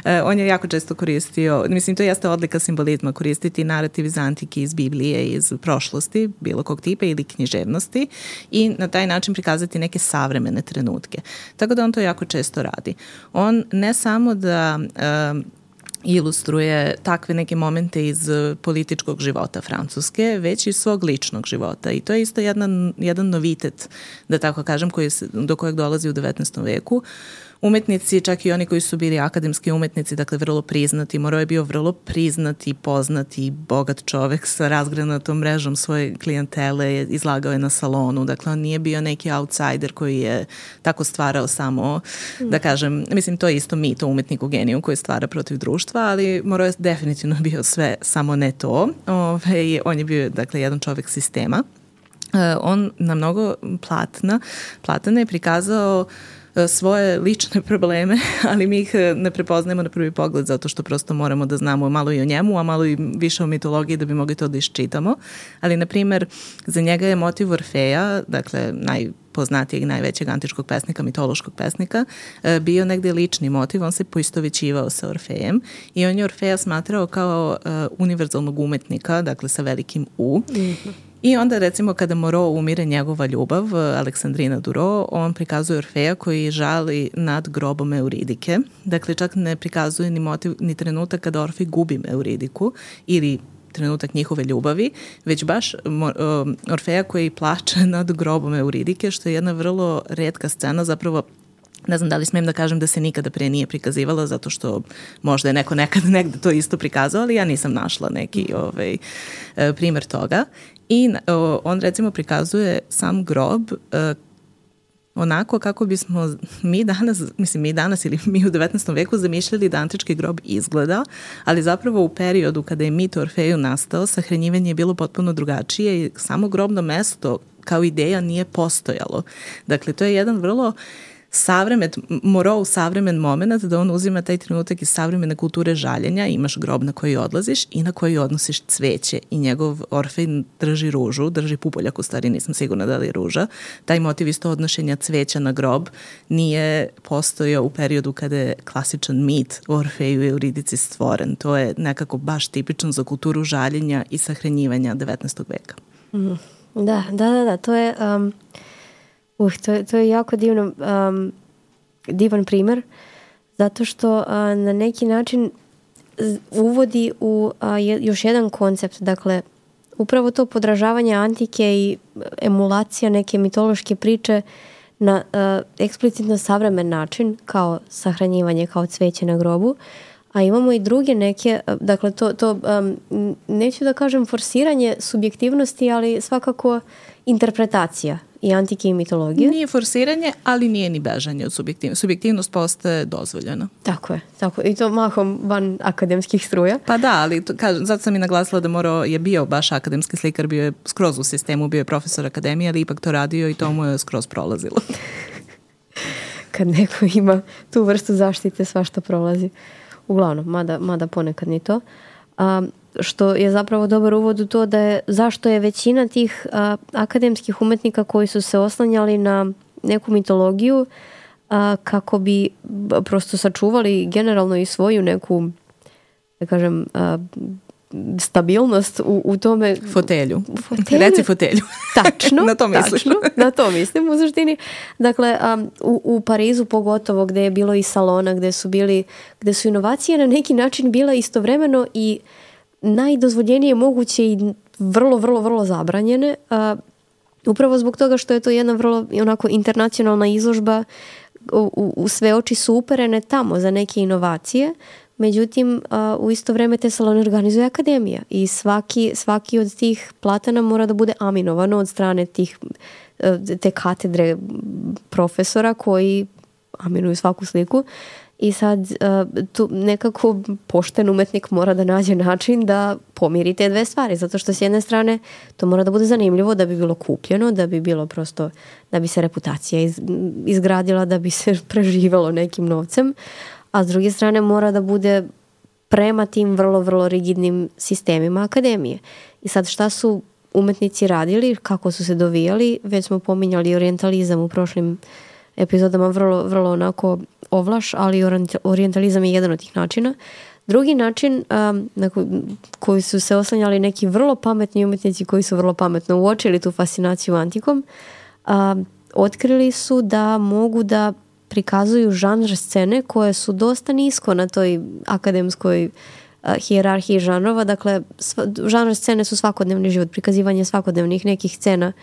E, on je jako često koristio, mislim, to jeste odlika simbolizma, koristiti narativ iz antike, iz Biblije, iz prošlosti, bilo kog tipa, ili književnosti i na taj način prikazati neke savremene trenutke. Tako da on to jako često radi. On ne samo da um, ilustruje takve neke momente iz političkog života Francuske, već i svog ličnog života. I to je isto jedan, jedan novitet, da tako kažem, koji se, do kojeg dolazi u devetnaestom veku. Umetnici, čak i oni koji su bili akademski umetnici, dakle vrlo priznati. Moreau je bio vrlo priznati, poznati, bogat čovek sa razgranatom mrežom svoje klijentele, izlagao je na salonu, dakle on nije bio neki outsider koji je tako stvarao samo, da kažem, mislim to je isto mit o umetniku geniju koji stvara protiv društva, ali Moreau je definitivno bio sve, samo ne to. Ove, on je bio, dakle, jedan čovek sistema. E, on na mnogo platna, platana je prikazao svoje lične probleme, ali mi ih ne prepoznajemo na prvi pogled zato što prosto moramo da znamo malo i o njemu, a malo i više o mitologiji da bi mogli to da iščitamo. Ali, na primer, za njega je motiv Orfeja, dakle, najpoznatijeg i najvećeg antičkog pesnika, mitološkog pesnika, bio negde lični motiv. On se poistovećivao sa Orfejem i on je Orfeja smatrao kao uh, univerzalnog umetnika, dakle sa velikim U. Mm-hmm. I onda, recimo, kada Moreau umire njegova ljubav, Aleksandrina Duro, on prikazuje Orfeja koji žali nad grobom Euridike. Dakle, čak ne prikazuje ni motiv, ni trenutak kada Orfej gubi Euridiku ili trenutak njihove ljubavi, već baš Orfeja koji plače nad grobom Euridike, što je jedna vrlo retka scena, zapravo ne znam da li smijem da kažem da se nikada pre nije prikazivala, zato što možda je neko nekad negde to isto prikazao, ali ja nisam našla neki ovaj, primer toga. I on recimo prikazuje sam grob onako kako bismo mi danas, mislim mi danas ili mi u devetnaestom veku zamišljali da antički grob izgleda, ali zapravo u periodu kada je mit o Orfeju nastao, sahranjivanje je bilo potpuno drugačije i samo grobno mesto kao ideja nije postojalo. Dakle, to je jedan vrlo savremen, morao savremen moment da on uzima taj trenutak iz savremene kulture žaljenja, imaš grob na koji odlaziš i na koji odnosiš cveće i njegov Orfej drži ružu, drži pupoljak, u stvari nisam sigurna da li je ruža. Taj motiv isto odnošenja cveća na grob nije postojao u periodu kada je klasičan mit o Orfeju i Euridici stvoren. To je nekako baš tipično za kulturu žaljenja i sahranjivanja devetnaestog veka. Mm. Da, da, da, da, to je... Um... Uh, to, je, to je jako divno, um, divan primer, zato što uh, na neki način uvodi u uh, još jedan koncept, dakle, upravo to podražavanje antike i emulacija neke mitološke priče na uh, eksplicitno savremen način, kao sahranjivanje, kao cveće na grobu, a imamo i druge neke, dakle, to, to um, neću da kažem forsiranje subjektivnosti, ali svakako interpretacija i antike i mitologije. Nije forsiranje, ali nije ni bežanje od subjektivnosti. Subjektivnost postaje dozvoljena. Tako je, tako je. I to mahom van akademskih struja. Pa da, ali to, kažem, zato sam i naglasila da morao je bio baš akademski slikar, bio je skroz u sistemu, bio je profesor akademije, ali ipak to radio i to mu je skroz prolazilo. Kad neko ima tu vrstu zaštite, svašta prolazi. Uglavnom, mada, mada ponekad ni to. Um, što je zapravo dobar uvod u to da je zašto je većina tih a, akademskih umetnika koji su se oslanjali na neku mitologiju a, kako bi prosto sačuvali generalno i svoju neku, da kažem, a, stabilnost u, u tome. Fotelju. fotelju. Reci fotelju. Tačno. Na to misliš. Tačno, na to mislim u suštini. Dakle, um, u, u Parizu pogotovo gde je bilo i salona, gde su bili, gde su inovacije na neki način bila istovremeno i najdozvoljenije moguće i vrlo, vrlo, vrlo zabranjene. Uh, upravo zbog toga što je to jedna vrlo onako internacionalna izložba, u, u sve oči su uperene tamo za neke inovacije. Međutim, uh, u isto vreme te salone organizuje akademija i svaki, svaki od tih platana mora da bude aminovano od strane tih, uh, te katedre profesora koji aminuju svaku sliku. I sad uh, tu nekako pošten umetnik mora da nađe način da pomiri te dve stvari, zato što s jedne strane to mora da bude zanimljivo, da bi bilo kupljeno, da bi bilo prosto, da bi se reputacija iz, izgradila, da bi se preživelo nekim novcem, a s druge strane mora da bude prema tim vrlo, vrlo rigidnim sistemima akademije. I sad šta su umetnici radili, kako su se dovijali, već smo pominjali orijentalizam u prošlim epizodama, vrlo, vrlo onako ovlaš, ali orijentalizam je jedan od tih načina. Drugi način um, na koji su se oslanjali neki vrlo pametni umetnici koji su vrlo pametno uočili tu fascinaciju antikom, um, otkrili su da mogu da prikazuju žanr scene koje su dosta nisko na toj akademskoj uh, hijerarhiji žanrova. Dakle, sva, žanr scene su svakodnevni život, prikazivanje svakodnevnih nekih scena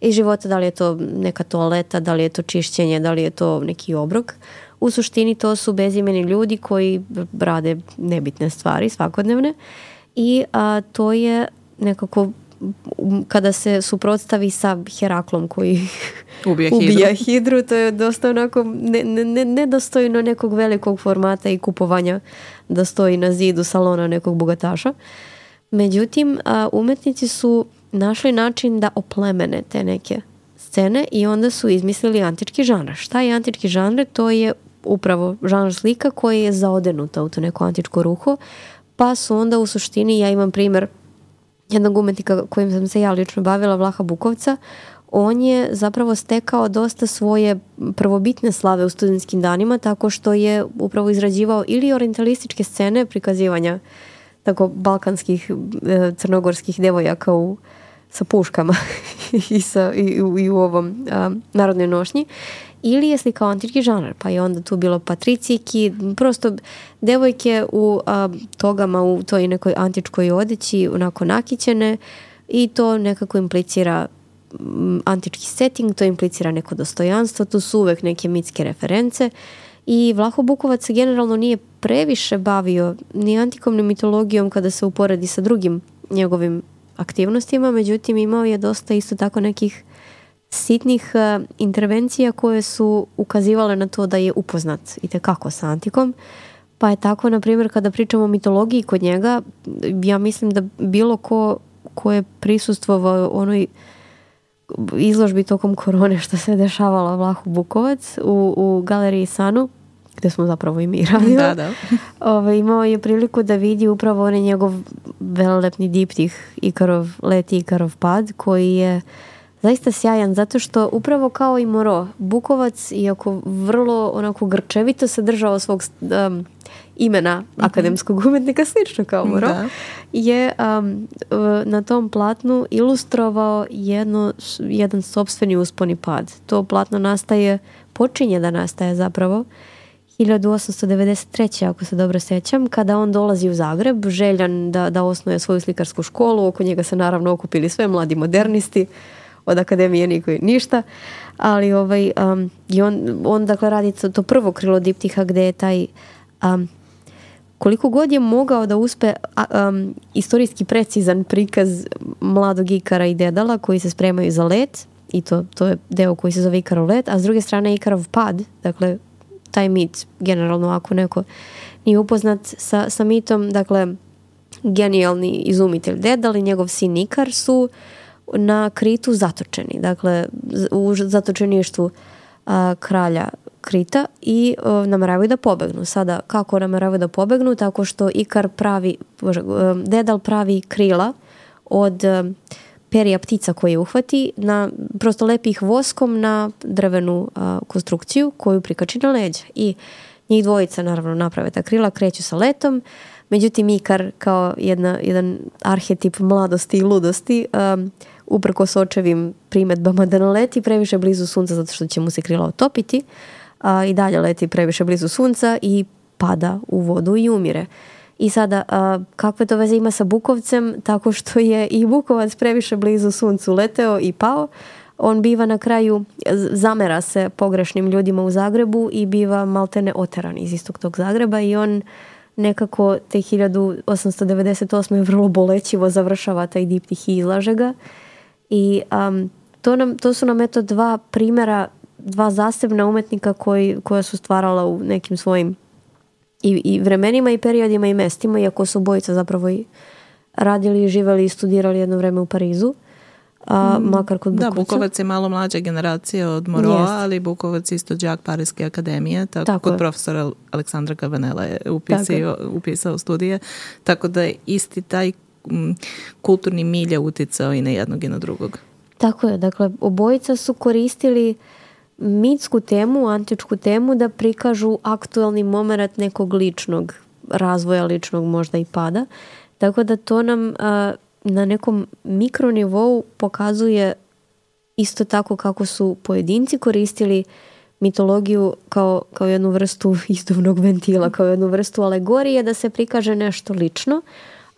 iz života, da li je to neka toaleta, da li je to čišćenje, da li je to neki obrok. U suštini to su bezimeni ljudi koji rade nebitne stvari svakodnevne i a, to je nekako kada se suprotstavi sa Heraklom koji ubija, ubija hidru. hidru, to je dosta onako ne, ne, nedostojno nekog velikog formata i kupovanja da stoji na zidu salona nekog bogataša. Međutim, a, umetnici su našli način da oplemene te neke scene i onda su izmislili antički žanr. Šta je antički žanr? To je upravo žanr slika koji je zaodenuta u to neko antičko ruho, pa su onda u suštini, ja imam primjer jednog umetnika kojim sam se ja lično bavila, Vlaha Bukovca, on je zapravo stekao dosta svoje prvobitne slave u studentskim danima tako što je upravo izrađivao ili orientalističke scene prikazivanja tako balkanskih e, crnogorskih devojaka u sa puškama i, sa, i, i u ovom a, narodnoj nošnji, ili je slikao antički žanr, pa je onda tu bilo patricijki, prosto devojke u a, togama, u toj nekoj antičkoj odeći, onako nakićene i to nekako implicira m, antički setting, to implicira neko dostojanstvo, tu su uvek neke mitske reference i Vlaho Bukovac se generalno nije previše bavio ni antikom ni mitologijom kada se uporedi sa drugim njegovim aktivnostima, međutim imao je dosta isto tako nekih sitnih uh, intervencija koje su ukazivale na to da je upoznat itekako sa antikom. Pa je tako, na primjer, kada pričamo o mitologiji kod njega, ja mislim da bilo ko, ko je prisustvovao onoj izložbi tokom korone što se dešavala Vlahu Bukovac u, u galeriji Sanu, gde smo zapravo i mi radili. Da, da. Ove, imao je priliku da vidi upravo onaj njegov velelepni diptih Ikarov let i Ikarov pad, koji je zaista sjajan, zato što upravo kao i Moreau, Bukovac, iako vrlo onako grčevito se držao svog um, imena mm-hmm. akademskog umetnika, slično kao Moreau, da. je um, na tom platnu ilustrovao jedno, jedan sopstveni uspon i pad. To platno nastaje, počinje da nastaje zapravo hiljadu osamsto devedeset treće. ako se dobro sećam, kada on dolazi u Zagreb, željan da, da osnuje svoju slikarsku školu. Oko njega se naravno okupili sve mladi modernisti, od akademije niko ništa, ali ovaj, um, i on, on dakle radi to prvo krilo diptiha gde je taj um, koliko god je mogao da uspe um, istorijski precizan prikaz mladog Ikara i Dedala koji se spremaju za let, i to, to je deo koji se zove Ikarov let, a s druge strane Ikarov pad, dakle taj mit, generalno ako neko nije upoznat sa, sa mitom, dakle genijalni izumitelj Dedal i njegov sin Ikar su na Kritu zatočeni, dakle u zatočeništvu a, kralja Krita i a, nameravaju da pobegnu. Sada, kako nameravaju da pobegnu? Tako što Ikar pravi, bože, a, Dedal pravi krila od a, perija ptica koje uhvati, na, prosto lepi ih voskom na drvenu a, konstrukciju koju prikači na leđa. I njih dvojica naravno naprave ta krila, kreću sa letom. Međutim, Ikar kao jedna, jedan arhetip mladosti i ludosti um, uprkos očevim primetbama da naleti previše blizu sunca zato što će mu se krila otopiti, a i dalje leti previše blizu sunca i pada u vodu i umire. I sada, a, kakve to veze ima sa Bukovcem? Tako što je i Bukovac previše blizu suncu leteo i pao. On biva na kraju, zamera se pogrešnim ljudima u Zagrebu i biva maltene oteran iz istog tog Zagreba i on nekako te hiljadu osamsto devedeset osme vrlo bolećivo završava taj diptih i izlaže ga. I um, to, nam, to su nam eto dva primjera, dva zasebna umetnika koji, koja su stvarala u nekim svojim i, i vremenima i periodima i mestima, iako su obojica zapravo i radili, živeli i studirali jedno vreme u Parizu. A, makar kod Bukovca. Da, Bukovac je malo mlađa generacija od Moreau, ali Bukovac isto đak Pariske akademije, tako, tako kod je. Profesora Aleksandra Gavanela je upisao, upisao studije, tako da je isti taj m, kulturni milje uticao i na jednog i na drugog. Tako je, dakle obojica su koristili mitsku temu, antičku temu da prikažu aktualni moment nekog ličnog razvoja, ličnog možda i pada, tako da to nam a, na nekom mikronivou pokazuje isto tako kako su pojedinci koristili mitologiju kao, kao jednu vrstu izduvnog ventila, kao jednu vrstu alegorije da se prikaže nešto lično,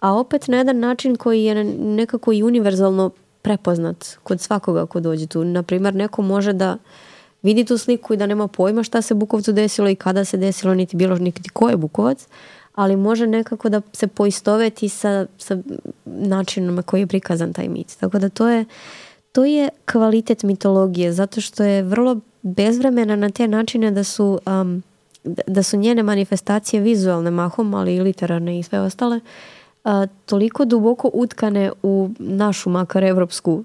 a opet na jedan način koji je nekako i univerzalno prepoznat kod svakoga ko dođe tu. Naprimjer, neko može da vidi tu sliku i da nema pojma šta se Bukovcu desilo i kada se desilo, niti bilo niti ko je Bukovac, ali može nekako da se poistoveti sa, sa načinom na koji je prikazan taj mit. Tako da to je, to je kvalitet mitologije, zato što je vrlo bezvremena na te načine da su, um, da su njene manifestacije vizualne mahom, ali i literarne i sve ostale, uh, toliko duboko utkane u našu, makar evropsku,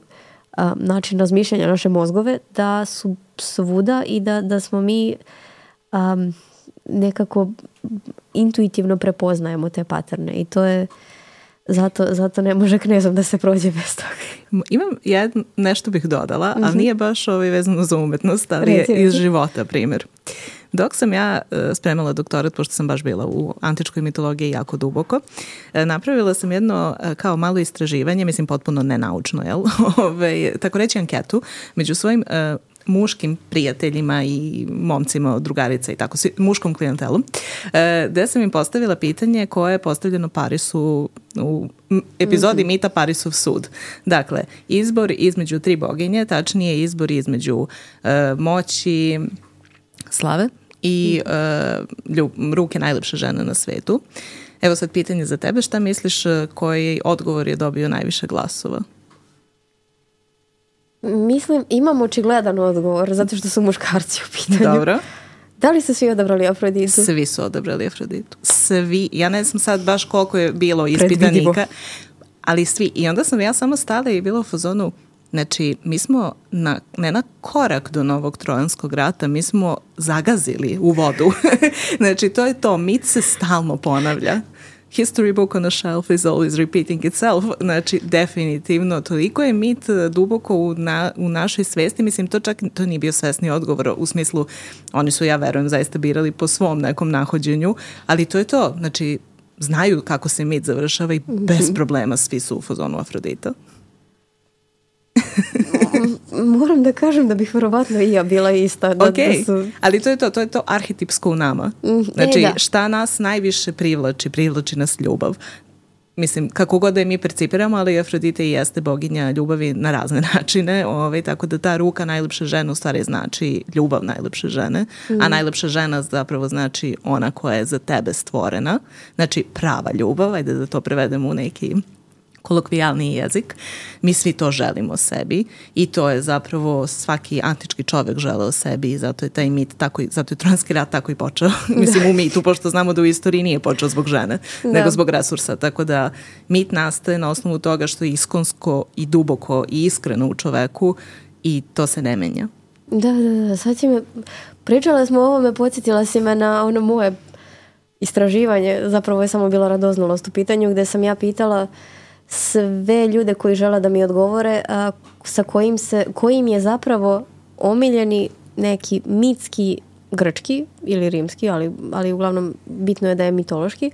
uh, način razmišljanja, naše mozgove, da su svuda i da, da smo mi um, nekako intuitivno prepoznajemo te paterne i to je zato, zato ne može knezom da se prođe bez toga. Imam jedno, nešto bih dodala, ali nije baš ovaj vezano za umetnost, ali je iz života primjer. Dok sam ja spremala doktorat, pošto sam baš bila u antičkoj mitologiji jako duboko, napravila sam jedno kao malo istraživanje, mislim potpuno nenaučno, jel? Ove, tako reći anketu, među svojim muškim prijateljima i momcima, drugarica i tako, muškom klijentelom, gde sam im postavila pitanje koje je postavljeno Parisu u epizodi mm-hmm. mita Parisov sud. Dakle, izbor između tri boginje, tačnije izbor između uh, moći, slave i uh, ljub, ruke najlepše žene na svetu. Evo sad pitanje za tebe, šta misliš koji odgovor je dobio najviše glasova? Mislim, imam očigledan odgovor, zato što su muškarci u pitanju. Dobro. Da li su svi odabrali Afroditu? Svi su odabrali Afroditu. Svi. Ja ne znam sad baš koliko je bilo ispitanika, ali svi. I onda sam ja samo stala i bila u fazonu, znači, mi smo na, ne na korak do novog trojanskog rata, mi smo zagazili u vodu. Znači, to je to. Mit se stalno ponavlja. History book on a shelf is always repeating itself. Znači, definitivno, toliko je mit duboko u, na, u našoj svesti. Mislim, to čak to nije bio svesni odgovor u smislu, oni su, ja verujem, zaista birali po svom nekom nahođenju, ali to je to. Znači, znaju kako se mit završava i bez problema svi su u fazonu Afrodita. Moram da kažem da bih verovatno i ja bila ista. Da, okay. da su... ali to je to, to je to arhetipsko u nama. Znači, e, šta nas najviše privlači? Privlači nas ljubav. Mislim, kako god da je mi percipiramo, ali Afrodita i jeste boginja ljubavi na razne načine, ovaj, tako da ta ruka najlepše žene u stvari znači ljubav najlepše žene, mm. a najlepša žena zapravo znači ona koja je za tebe stvorena, znači prava ljubav, ajde da to prevedemo u neki kolokvijalni jezik. Mi svi to želimo sebi i to je zapravo svaki antički čovjek želeo sebi i zato je taj mit tako, zato je trojanski rat tako i počeo. Mislim u mitu, pošto znamo da u istoriji nije počeo zbog žene, da. nego zbog resursa. Tako da mit nastaje na osnovu toga što je iskonsko i duboko i iskreno u čoveku i to se ne menja. Da, da, da. Sad si me, pričala smo o ovome, podsjetila si me na ono moje istraživanje, zapravo je samo bila radoznalost u pitanju, gde sam ja pitala sve ljude koji žele da mi odgovore, a, sa kojim, se, kojim je zapravo omiljeni neki mitski, grčki ili rimski, ali, ali uglavnom bitno je da je mitološki,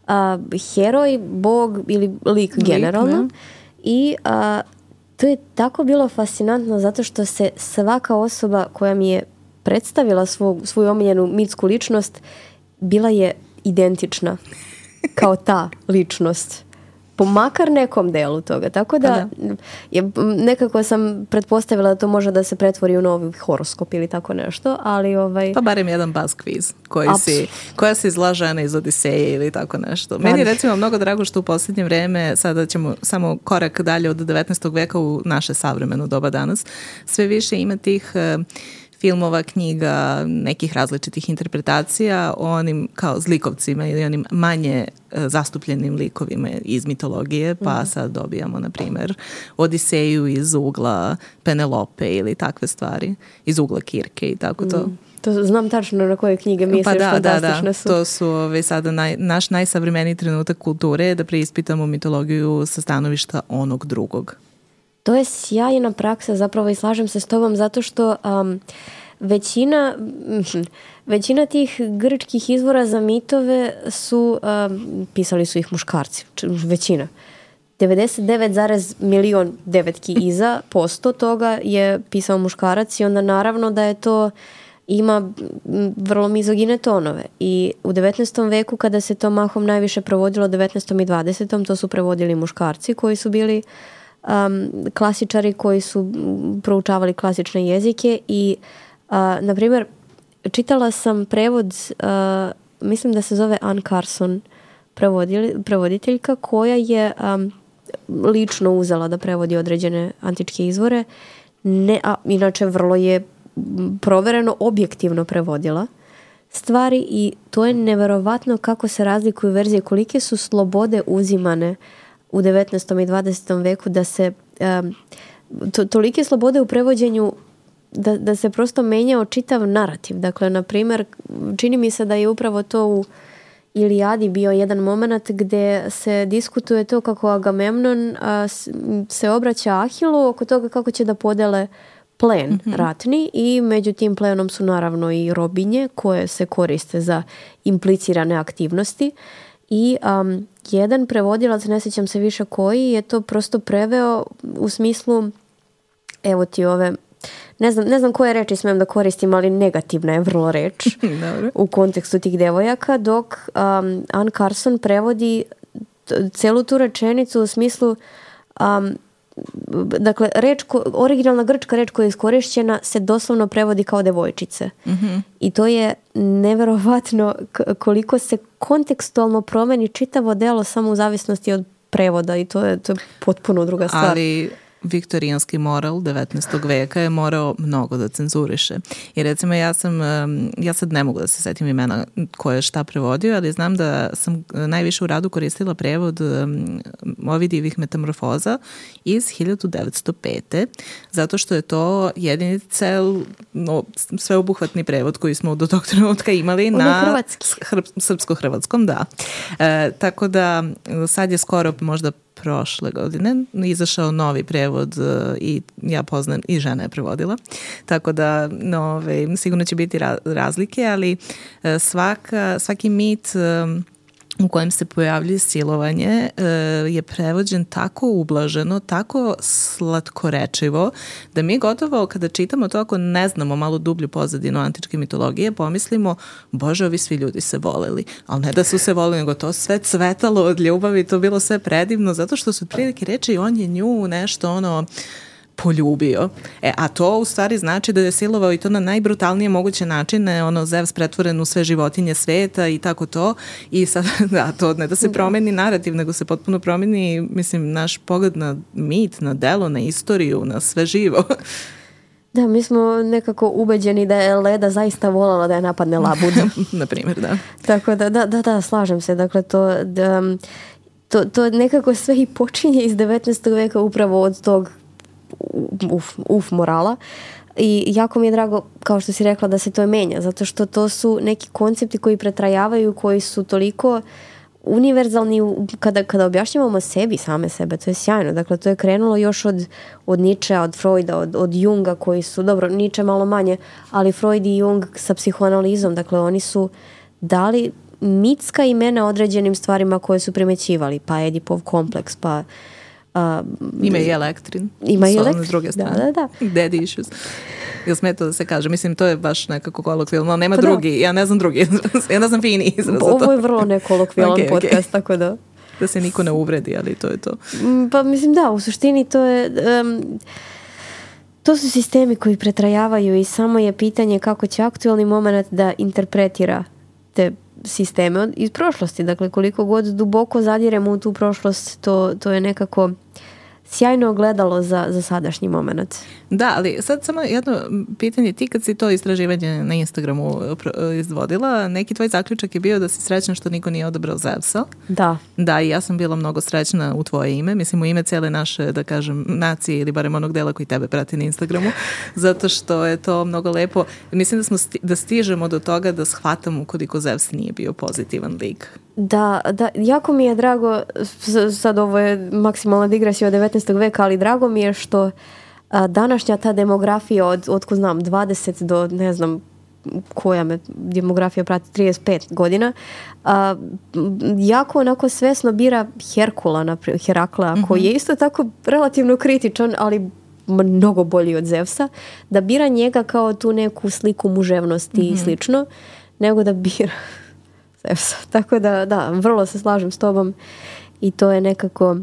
a, heroj, bog ili lik generalno. Lik, I a, to je tako bilo fascinantno zato što se svaka osoba koja mi je predstavila svog, svoju omiljenu mitsku ličnost bila je identična kao ta ličnost. Po makar nekom delu toga. Tako da, da. Je, nekako sam pretpostavila da to može da se pretvori u novi horoskop ili tako nešto, ali ovaj... Pa barem jedan buzz quiz koji si, koja se izla žena iz Odiseje ili tako nešto. Meni je recimo mnogo drago što u posljednje vreme, sada ćemo samo korak dalje od devetnaestog veka u naše savremeno doba danas, sve više ima tih... Uh, filmova, knjiga, nekih različitih interpretacija o onim kao zlikovcima ili onim manje e, zastupljenim likovima iz mitologije, pa mm. sad dobijamo, na primjer, Odiseju iz ugla Penelope ili takve stvari, iz ugla Kirke i tako to. Mm. To znam tačno na koje knjige misliš, pa da, fantastične da, da. su. To su ove, sada naj, naš najsavremeniji trenutak kulture da preispitamo mitologiju sa stanovišta onog drugog. To je sjajna praksa, zapravo i slažem se s tobom, zato što um, većina, većina tih grčkih izvora za mitove su, um, pisali su ih muškarci, većina. devedeset devet zarez milion devetki iza posto toga je pisao muškarac i onda naravno da je to ima vrlo mizogine tonove. I u devetnaestom veku kada se to mahom najviše provodilo, devetnaestom i dvadesetom to su prevodili muškarci koji su bili Um, klasičari koji su proučavali klasične jezike i uh, na primjer čitala sam prevod uh, mislim da se zove Anne Carson prevoditeljka koja je um, lično uzela da prevodi određene antičke izvore, ne, a inače vrlo je provereno objektivno prevodila stvari i to je neverovatno kako se razlikuju verzije, kolike su slobode uzimane u devetnaestom i dvadesetom veku da se um, to, tolike slobode u prevođenju da, da se prosto menjao čitav narativ. Dakle, na primjer, čini mi se da je upravo to u Ilijadi bio jedan moment gdje se diskutuje to kako Agamemnon a, se obraća Ahilu oko toga kako će da podele plen mm-hmm. ratni i među tim plenom su naravno i robinje koje se koriste za implicirane aktivnosti. I um, jedan prevodilac, ne sjećam se više koji, je to prosto preveo u smislu, evo ti ove, ne znam, ne znam koje reči smijem da koristim, ali negativna je vrlo reč u kontekstu tih devojaka, dok um, Anne Carson prevodi t- celu tu rečenicu u smislu, um, dakle, reč ko, originalna grčka reč koja je iskorišćena se doslovno prevodi kao devojčice. Mm-hmm. I to je neverovatno k- koliko se kontekstualno promeni čitavo delo samo u zavisnosti od prevoda i to je, to je potpuno druga stvar. Ali viktorijanski moral devetnaestog veka je morao mnogo da cenzuriše. I recimo ja sam, ja sad ne mogu da se setim imena ko je šta prevodio, ali znam da sam najviše u radu koristila prevod Ovidijevih metamorfoza iz hiljadu devetsto pete. zato što je to jedini cel no, sveobuhvatni prevod koji smo do tog trenutka imali on na srpsko-hrvatskom, da. E, tako da sad je skoro možda prošle godine izašao novi prevod i ja poznam i žena je prevodila, tako da no, ove, sigurno će biti razlike, ali svaka, svaki mit u kojem se pojavljuje silovanje je prevođen tako ublaženo, tako slatkorečivo, da mi gotovo kada čitamo to, ako ne znamo malo dublju pozadinu antičke mitologije, pomislimo, bože, ovi svi ljudi se voleli. Ali ne da su se voleli, nego to sve cvetalo od ljubavi, to bilo sve predivno, zato što su otprilike reči on je nju nešto ono poljubio. E, a to u stvari znači da je silovao i to na najbrutalnije moguće načine, ono Zevs pretvoren u sve životinje sveta i tako to. I sad, da, to ne da se promeni narativ, nego se potpuno promeni, mislim, naš pogled na mit, na delo, na istoriju, na sve živo. Da, mi smo nekako ubeđeni da je Leda zaista volala da je napadne labudu. Na primjer, da. Tako da, da, da, da, slažem se. Dakle, to, da, to, to nekako sve i počinje iz devetnaestog veka upravo od tog uf, uf morala i jako mi je drago, kao što si rekla, da se to menja, zato što to su neki koncepti koji pretrajavaju, koji su toliko univerzalni kada, kada objašnjavamo sebi, same sebe, to je sjajno. Dakle, to je krenulo još od, od Nietzschea, od Freuda, od, od Junga, koji su, dobro, Nietzsche malo manje, ali Freud i Jung sa psihoanalizom, dakle, oni su dali mitska imena određenim stvarima koje su primećivali, pa Edipov kompleks, pa Uh, ima i Elektrin. Ima i Elektrin. S druge strane. Da, da, da. Daddy issues. Jel smeta da se kaže? Mislim, to je baš nekako kolokvijalno. Nema pa drugi. Da. Ja ne znam drugi izraz. Ja ne znam fini izraz. Ovo je vrlo nekolokvijalan okay, podcast, okay. Tako da... Da se niko ne uvredi, ali to je to. Pa mislim da, u suštini to je... Um, to su sistemi koji pretrajavaju i samo je pitanje kako će aktualni moment da interpretira te sisteme iz prošlosti. Dakle, koliko god duboko zadiremo u tu prošlost, to, to je nekako sjajno ogledalo za, za sadašnji moment. Da, ali sad samo jedno pitanje. Ti kad si to istraživanje na Instagramu izvodila, neki tvoj zaključak je bio da si srećna što niko nije odabrao Zevsa. Da. Da, i ja sam bila mnogo srećna u tvoje ime. Mislim, u ime cijele naše, da kažem, nacije ili barem onog dela koji tebe prati na Instagramu, zato što je to mnogo lepo. Mislim da smo sti, da stižemo do toga da shvatamo koliko Zevs nije bio pozitivan lik. Da, da, jako mi je drago, sad ovo je maksimalna digresija od devetnaestog veka, ali drago mi je što a, današnja ta demografija od, otko znam, dvadeset do ne znam koja me demografija prati trideset pet godina, a, jako onako svesno bira Herkula, naprijed, Heraklea, mm-hmm. koji je isto tako relativno kritičan, ali mnogo bolji od Zevsa, da bira njega kao tu neku sliku muževnosti mm-hmm. i slično, nego da bira Zevsa. Tako da, da, vrlo se slažem s tobom i to je nekako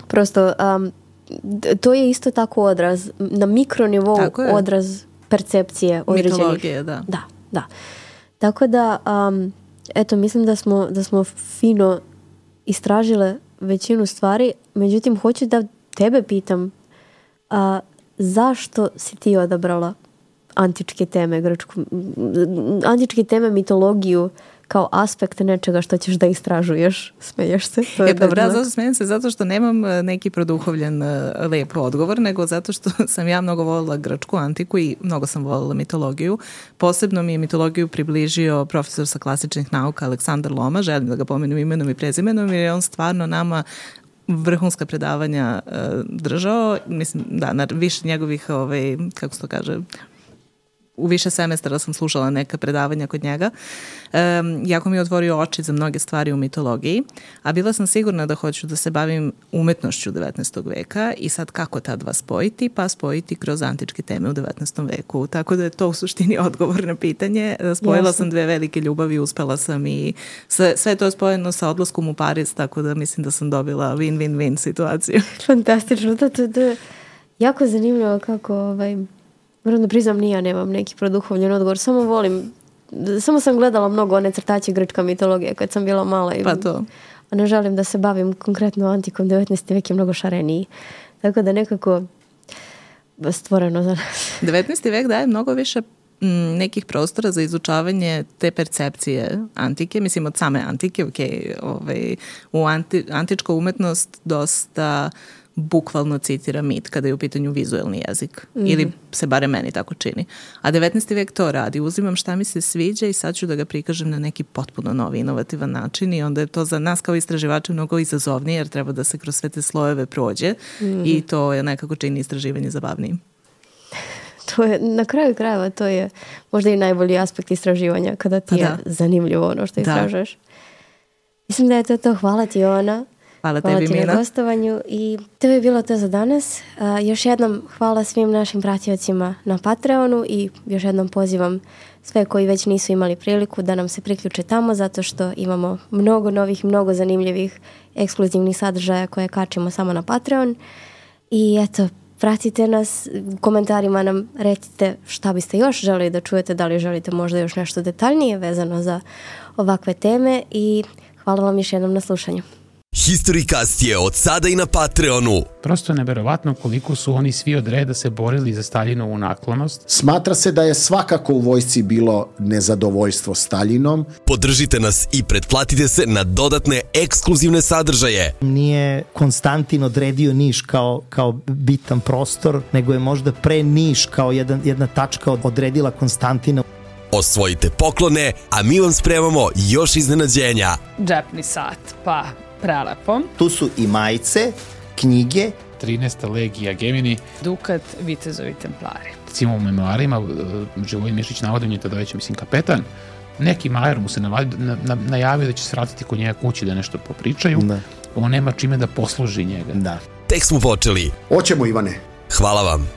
prosto, um, to je isto tako odraz, na mikronivou odraz percepcije određenih. Mitologije, da. Da, da. Tako da, um, eto, mislim da smo, da smo fino istražile većinu stvari, međutim, hoću da tebe pitam, a, zašto si ti odabrala antičke teme, grčku, antičke teme, mitologiju, kao aspekt nečega što ćeš da istražuješ? Smeješ se? To je e, dobra, zato smijem se zato što nemam neki produhovljen lep odgovor, nego zato što sam ja mnogo volila grčku antiku i mnogo sam volila mitologiju. Posebno mi je mitologiju približio profesor sa klasičnih nauka Aleksandar Loma, želim da ga pomenem imenom i prezimenom, jer je on stvarno nama vrhunska predavanja uh, držao. Mislim, da, na više njegovih, ovaj, kako se to kaže, u više semestara sam slušala neka predavanja kod njega. Um, jako mi je otvorio oči za mnoge stvari u mitologiji, a bila sam sigurna da hoću da se bavim umetnošću devetnaestog veka i sad kako ta dva spojiti? Pa spojiti kroz antičke teme u devetnaestom veku. Tako da je to u suštini odgovor na pitanje. Spojila Jasne. sam dve velike ljubavi, uspela sam i sve, sve to je spojeno sa odlaskom u Pariz, tako da mislim da sam dobila win-win-win situaciju. Fantastično. To, to, to je jako zanimljivo kako... Ovaj... Moram da priznam, ni ja nemam neki produhovljen odgovor. Samo volim, samo sam gledala mnogo one crtaće grčka mitologije kad sam bila mala. I, pa to. A ne želim da se bavim konkretno antikom. devetnaesti vek je mnogo šareniji. Tako da nekako stvoreno za nas. devetnaesti vek daje mnogo više m, nekih prostora za izučavanje te percepcije antike, mislim od same antike, ok, ovaj, u anti, antička umetnost dosta bukvalno citira mit kada je u pitanju vizuelni jezik. Mm. Ili se bare meni tako čini. A devetnaesti vek to radi. Uzimam šta mi se sviđa i sad ću da ga prikažem na neki potpuno novi, inovativan način i onda je to za nas kao istraživače mnogo izazovnije jer treba da se kroz sve te slojeve prođe mm. i to je nekako čini istraživanje zabavnijim. To je, na kraju krajeva, to je možda i najbolji aspekt istraživanja kada ti pa je da. zanimljivo ono što istražuješ. Da. Mislim da je to to. Hvala ti, Ona. Hvala Hvala tebi, ti Mina. na gostovanju i to je bilo to za danas. Uh, još jednom hvala svim našim pratiocima na Patreonu i još jednom pozivam sve koji već nisu imali priliku da nam se priključe tamo zato što imamo mnogo novih, mnogo zanimljivih ekskluzivnih sadržaja koje kačimo samo na Patreon. I eto, pratite nas, u komentarima nam recite šta biste još želeli da čujete, da li želite možda još nešto detaljnije vezano za ovakve teme i hvala vam još jednom na slušanju. Historicast je od sada i na Patreonu. Prosto je neverovatno koliko su oni svi od reda se borili za Staljinovu naklonost. Smatra se da je svakako u vojsci bilo nezadovoljstvo Staljinom. Podržite nas i pretplatite se na dodatne ekskluzivne sadržaje. Nije Konstantin odredio Niš kao, kao bitan prostor, nego je možda pre Niš kao jedan, jedna tačka odredila Konstantina. Osvojite poklone, a mi vam spremamo još iznenađenja. Džepni sat, pa prelepo. Tu su i majice, knjige, trinaesta legija Gemini. Dukat, vitezovi templari. Recimo u memoarima Živojin Mišić navodi, on je tada već, mislim, kapetan. Neki majer mu se navadi, na, na, najavio da će se vratiti kod njega kući da nešto popričaju. Da. On nema čime da posluži njega. Da. Tek smo počeli. Hoćemo, Ivane. Hvala vam.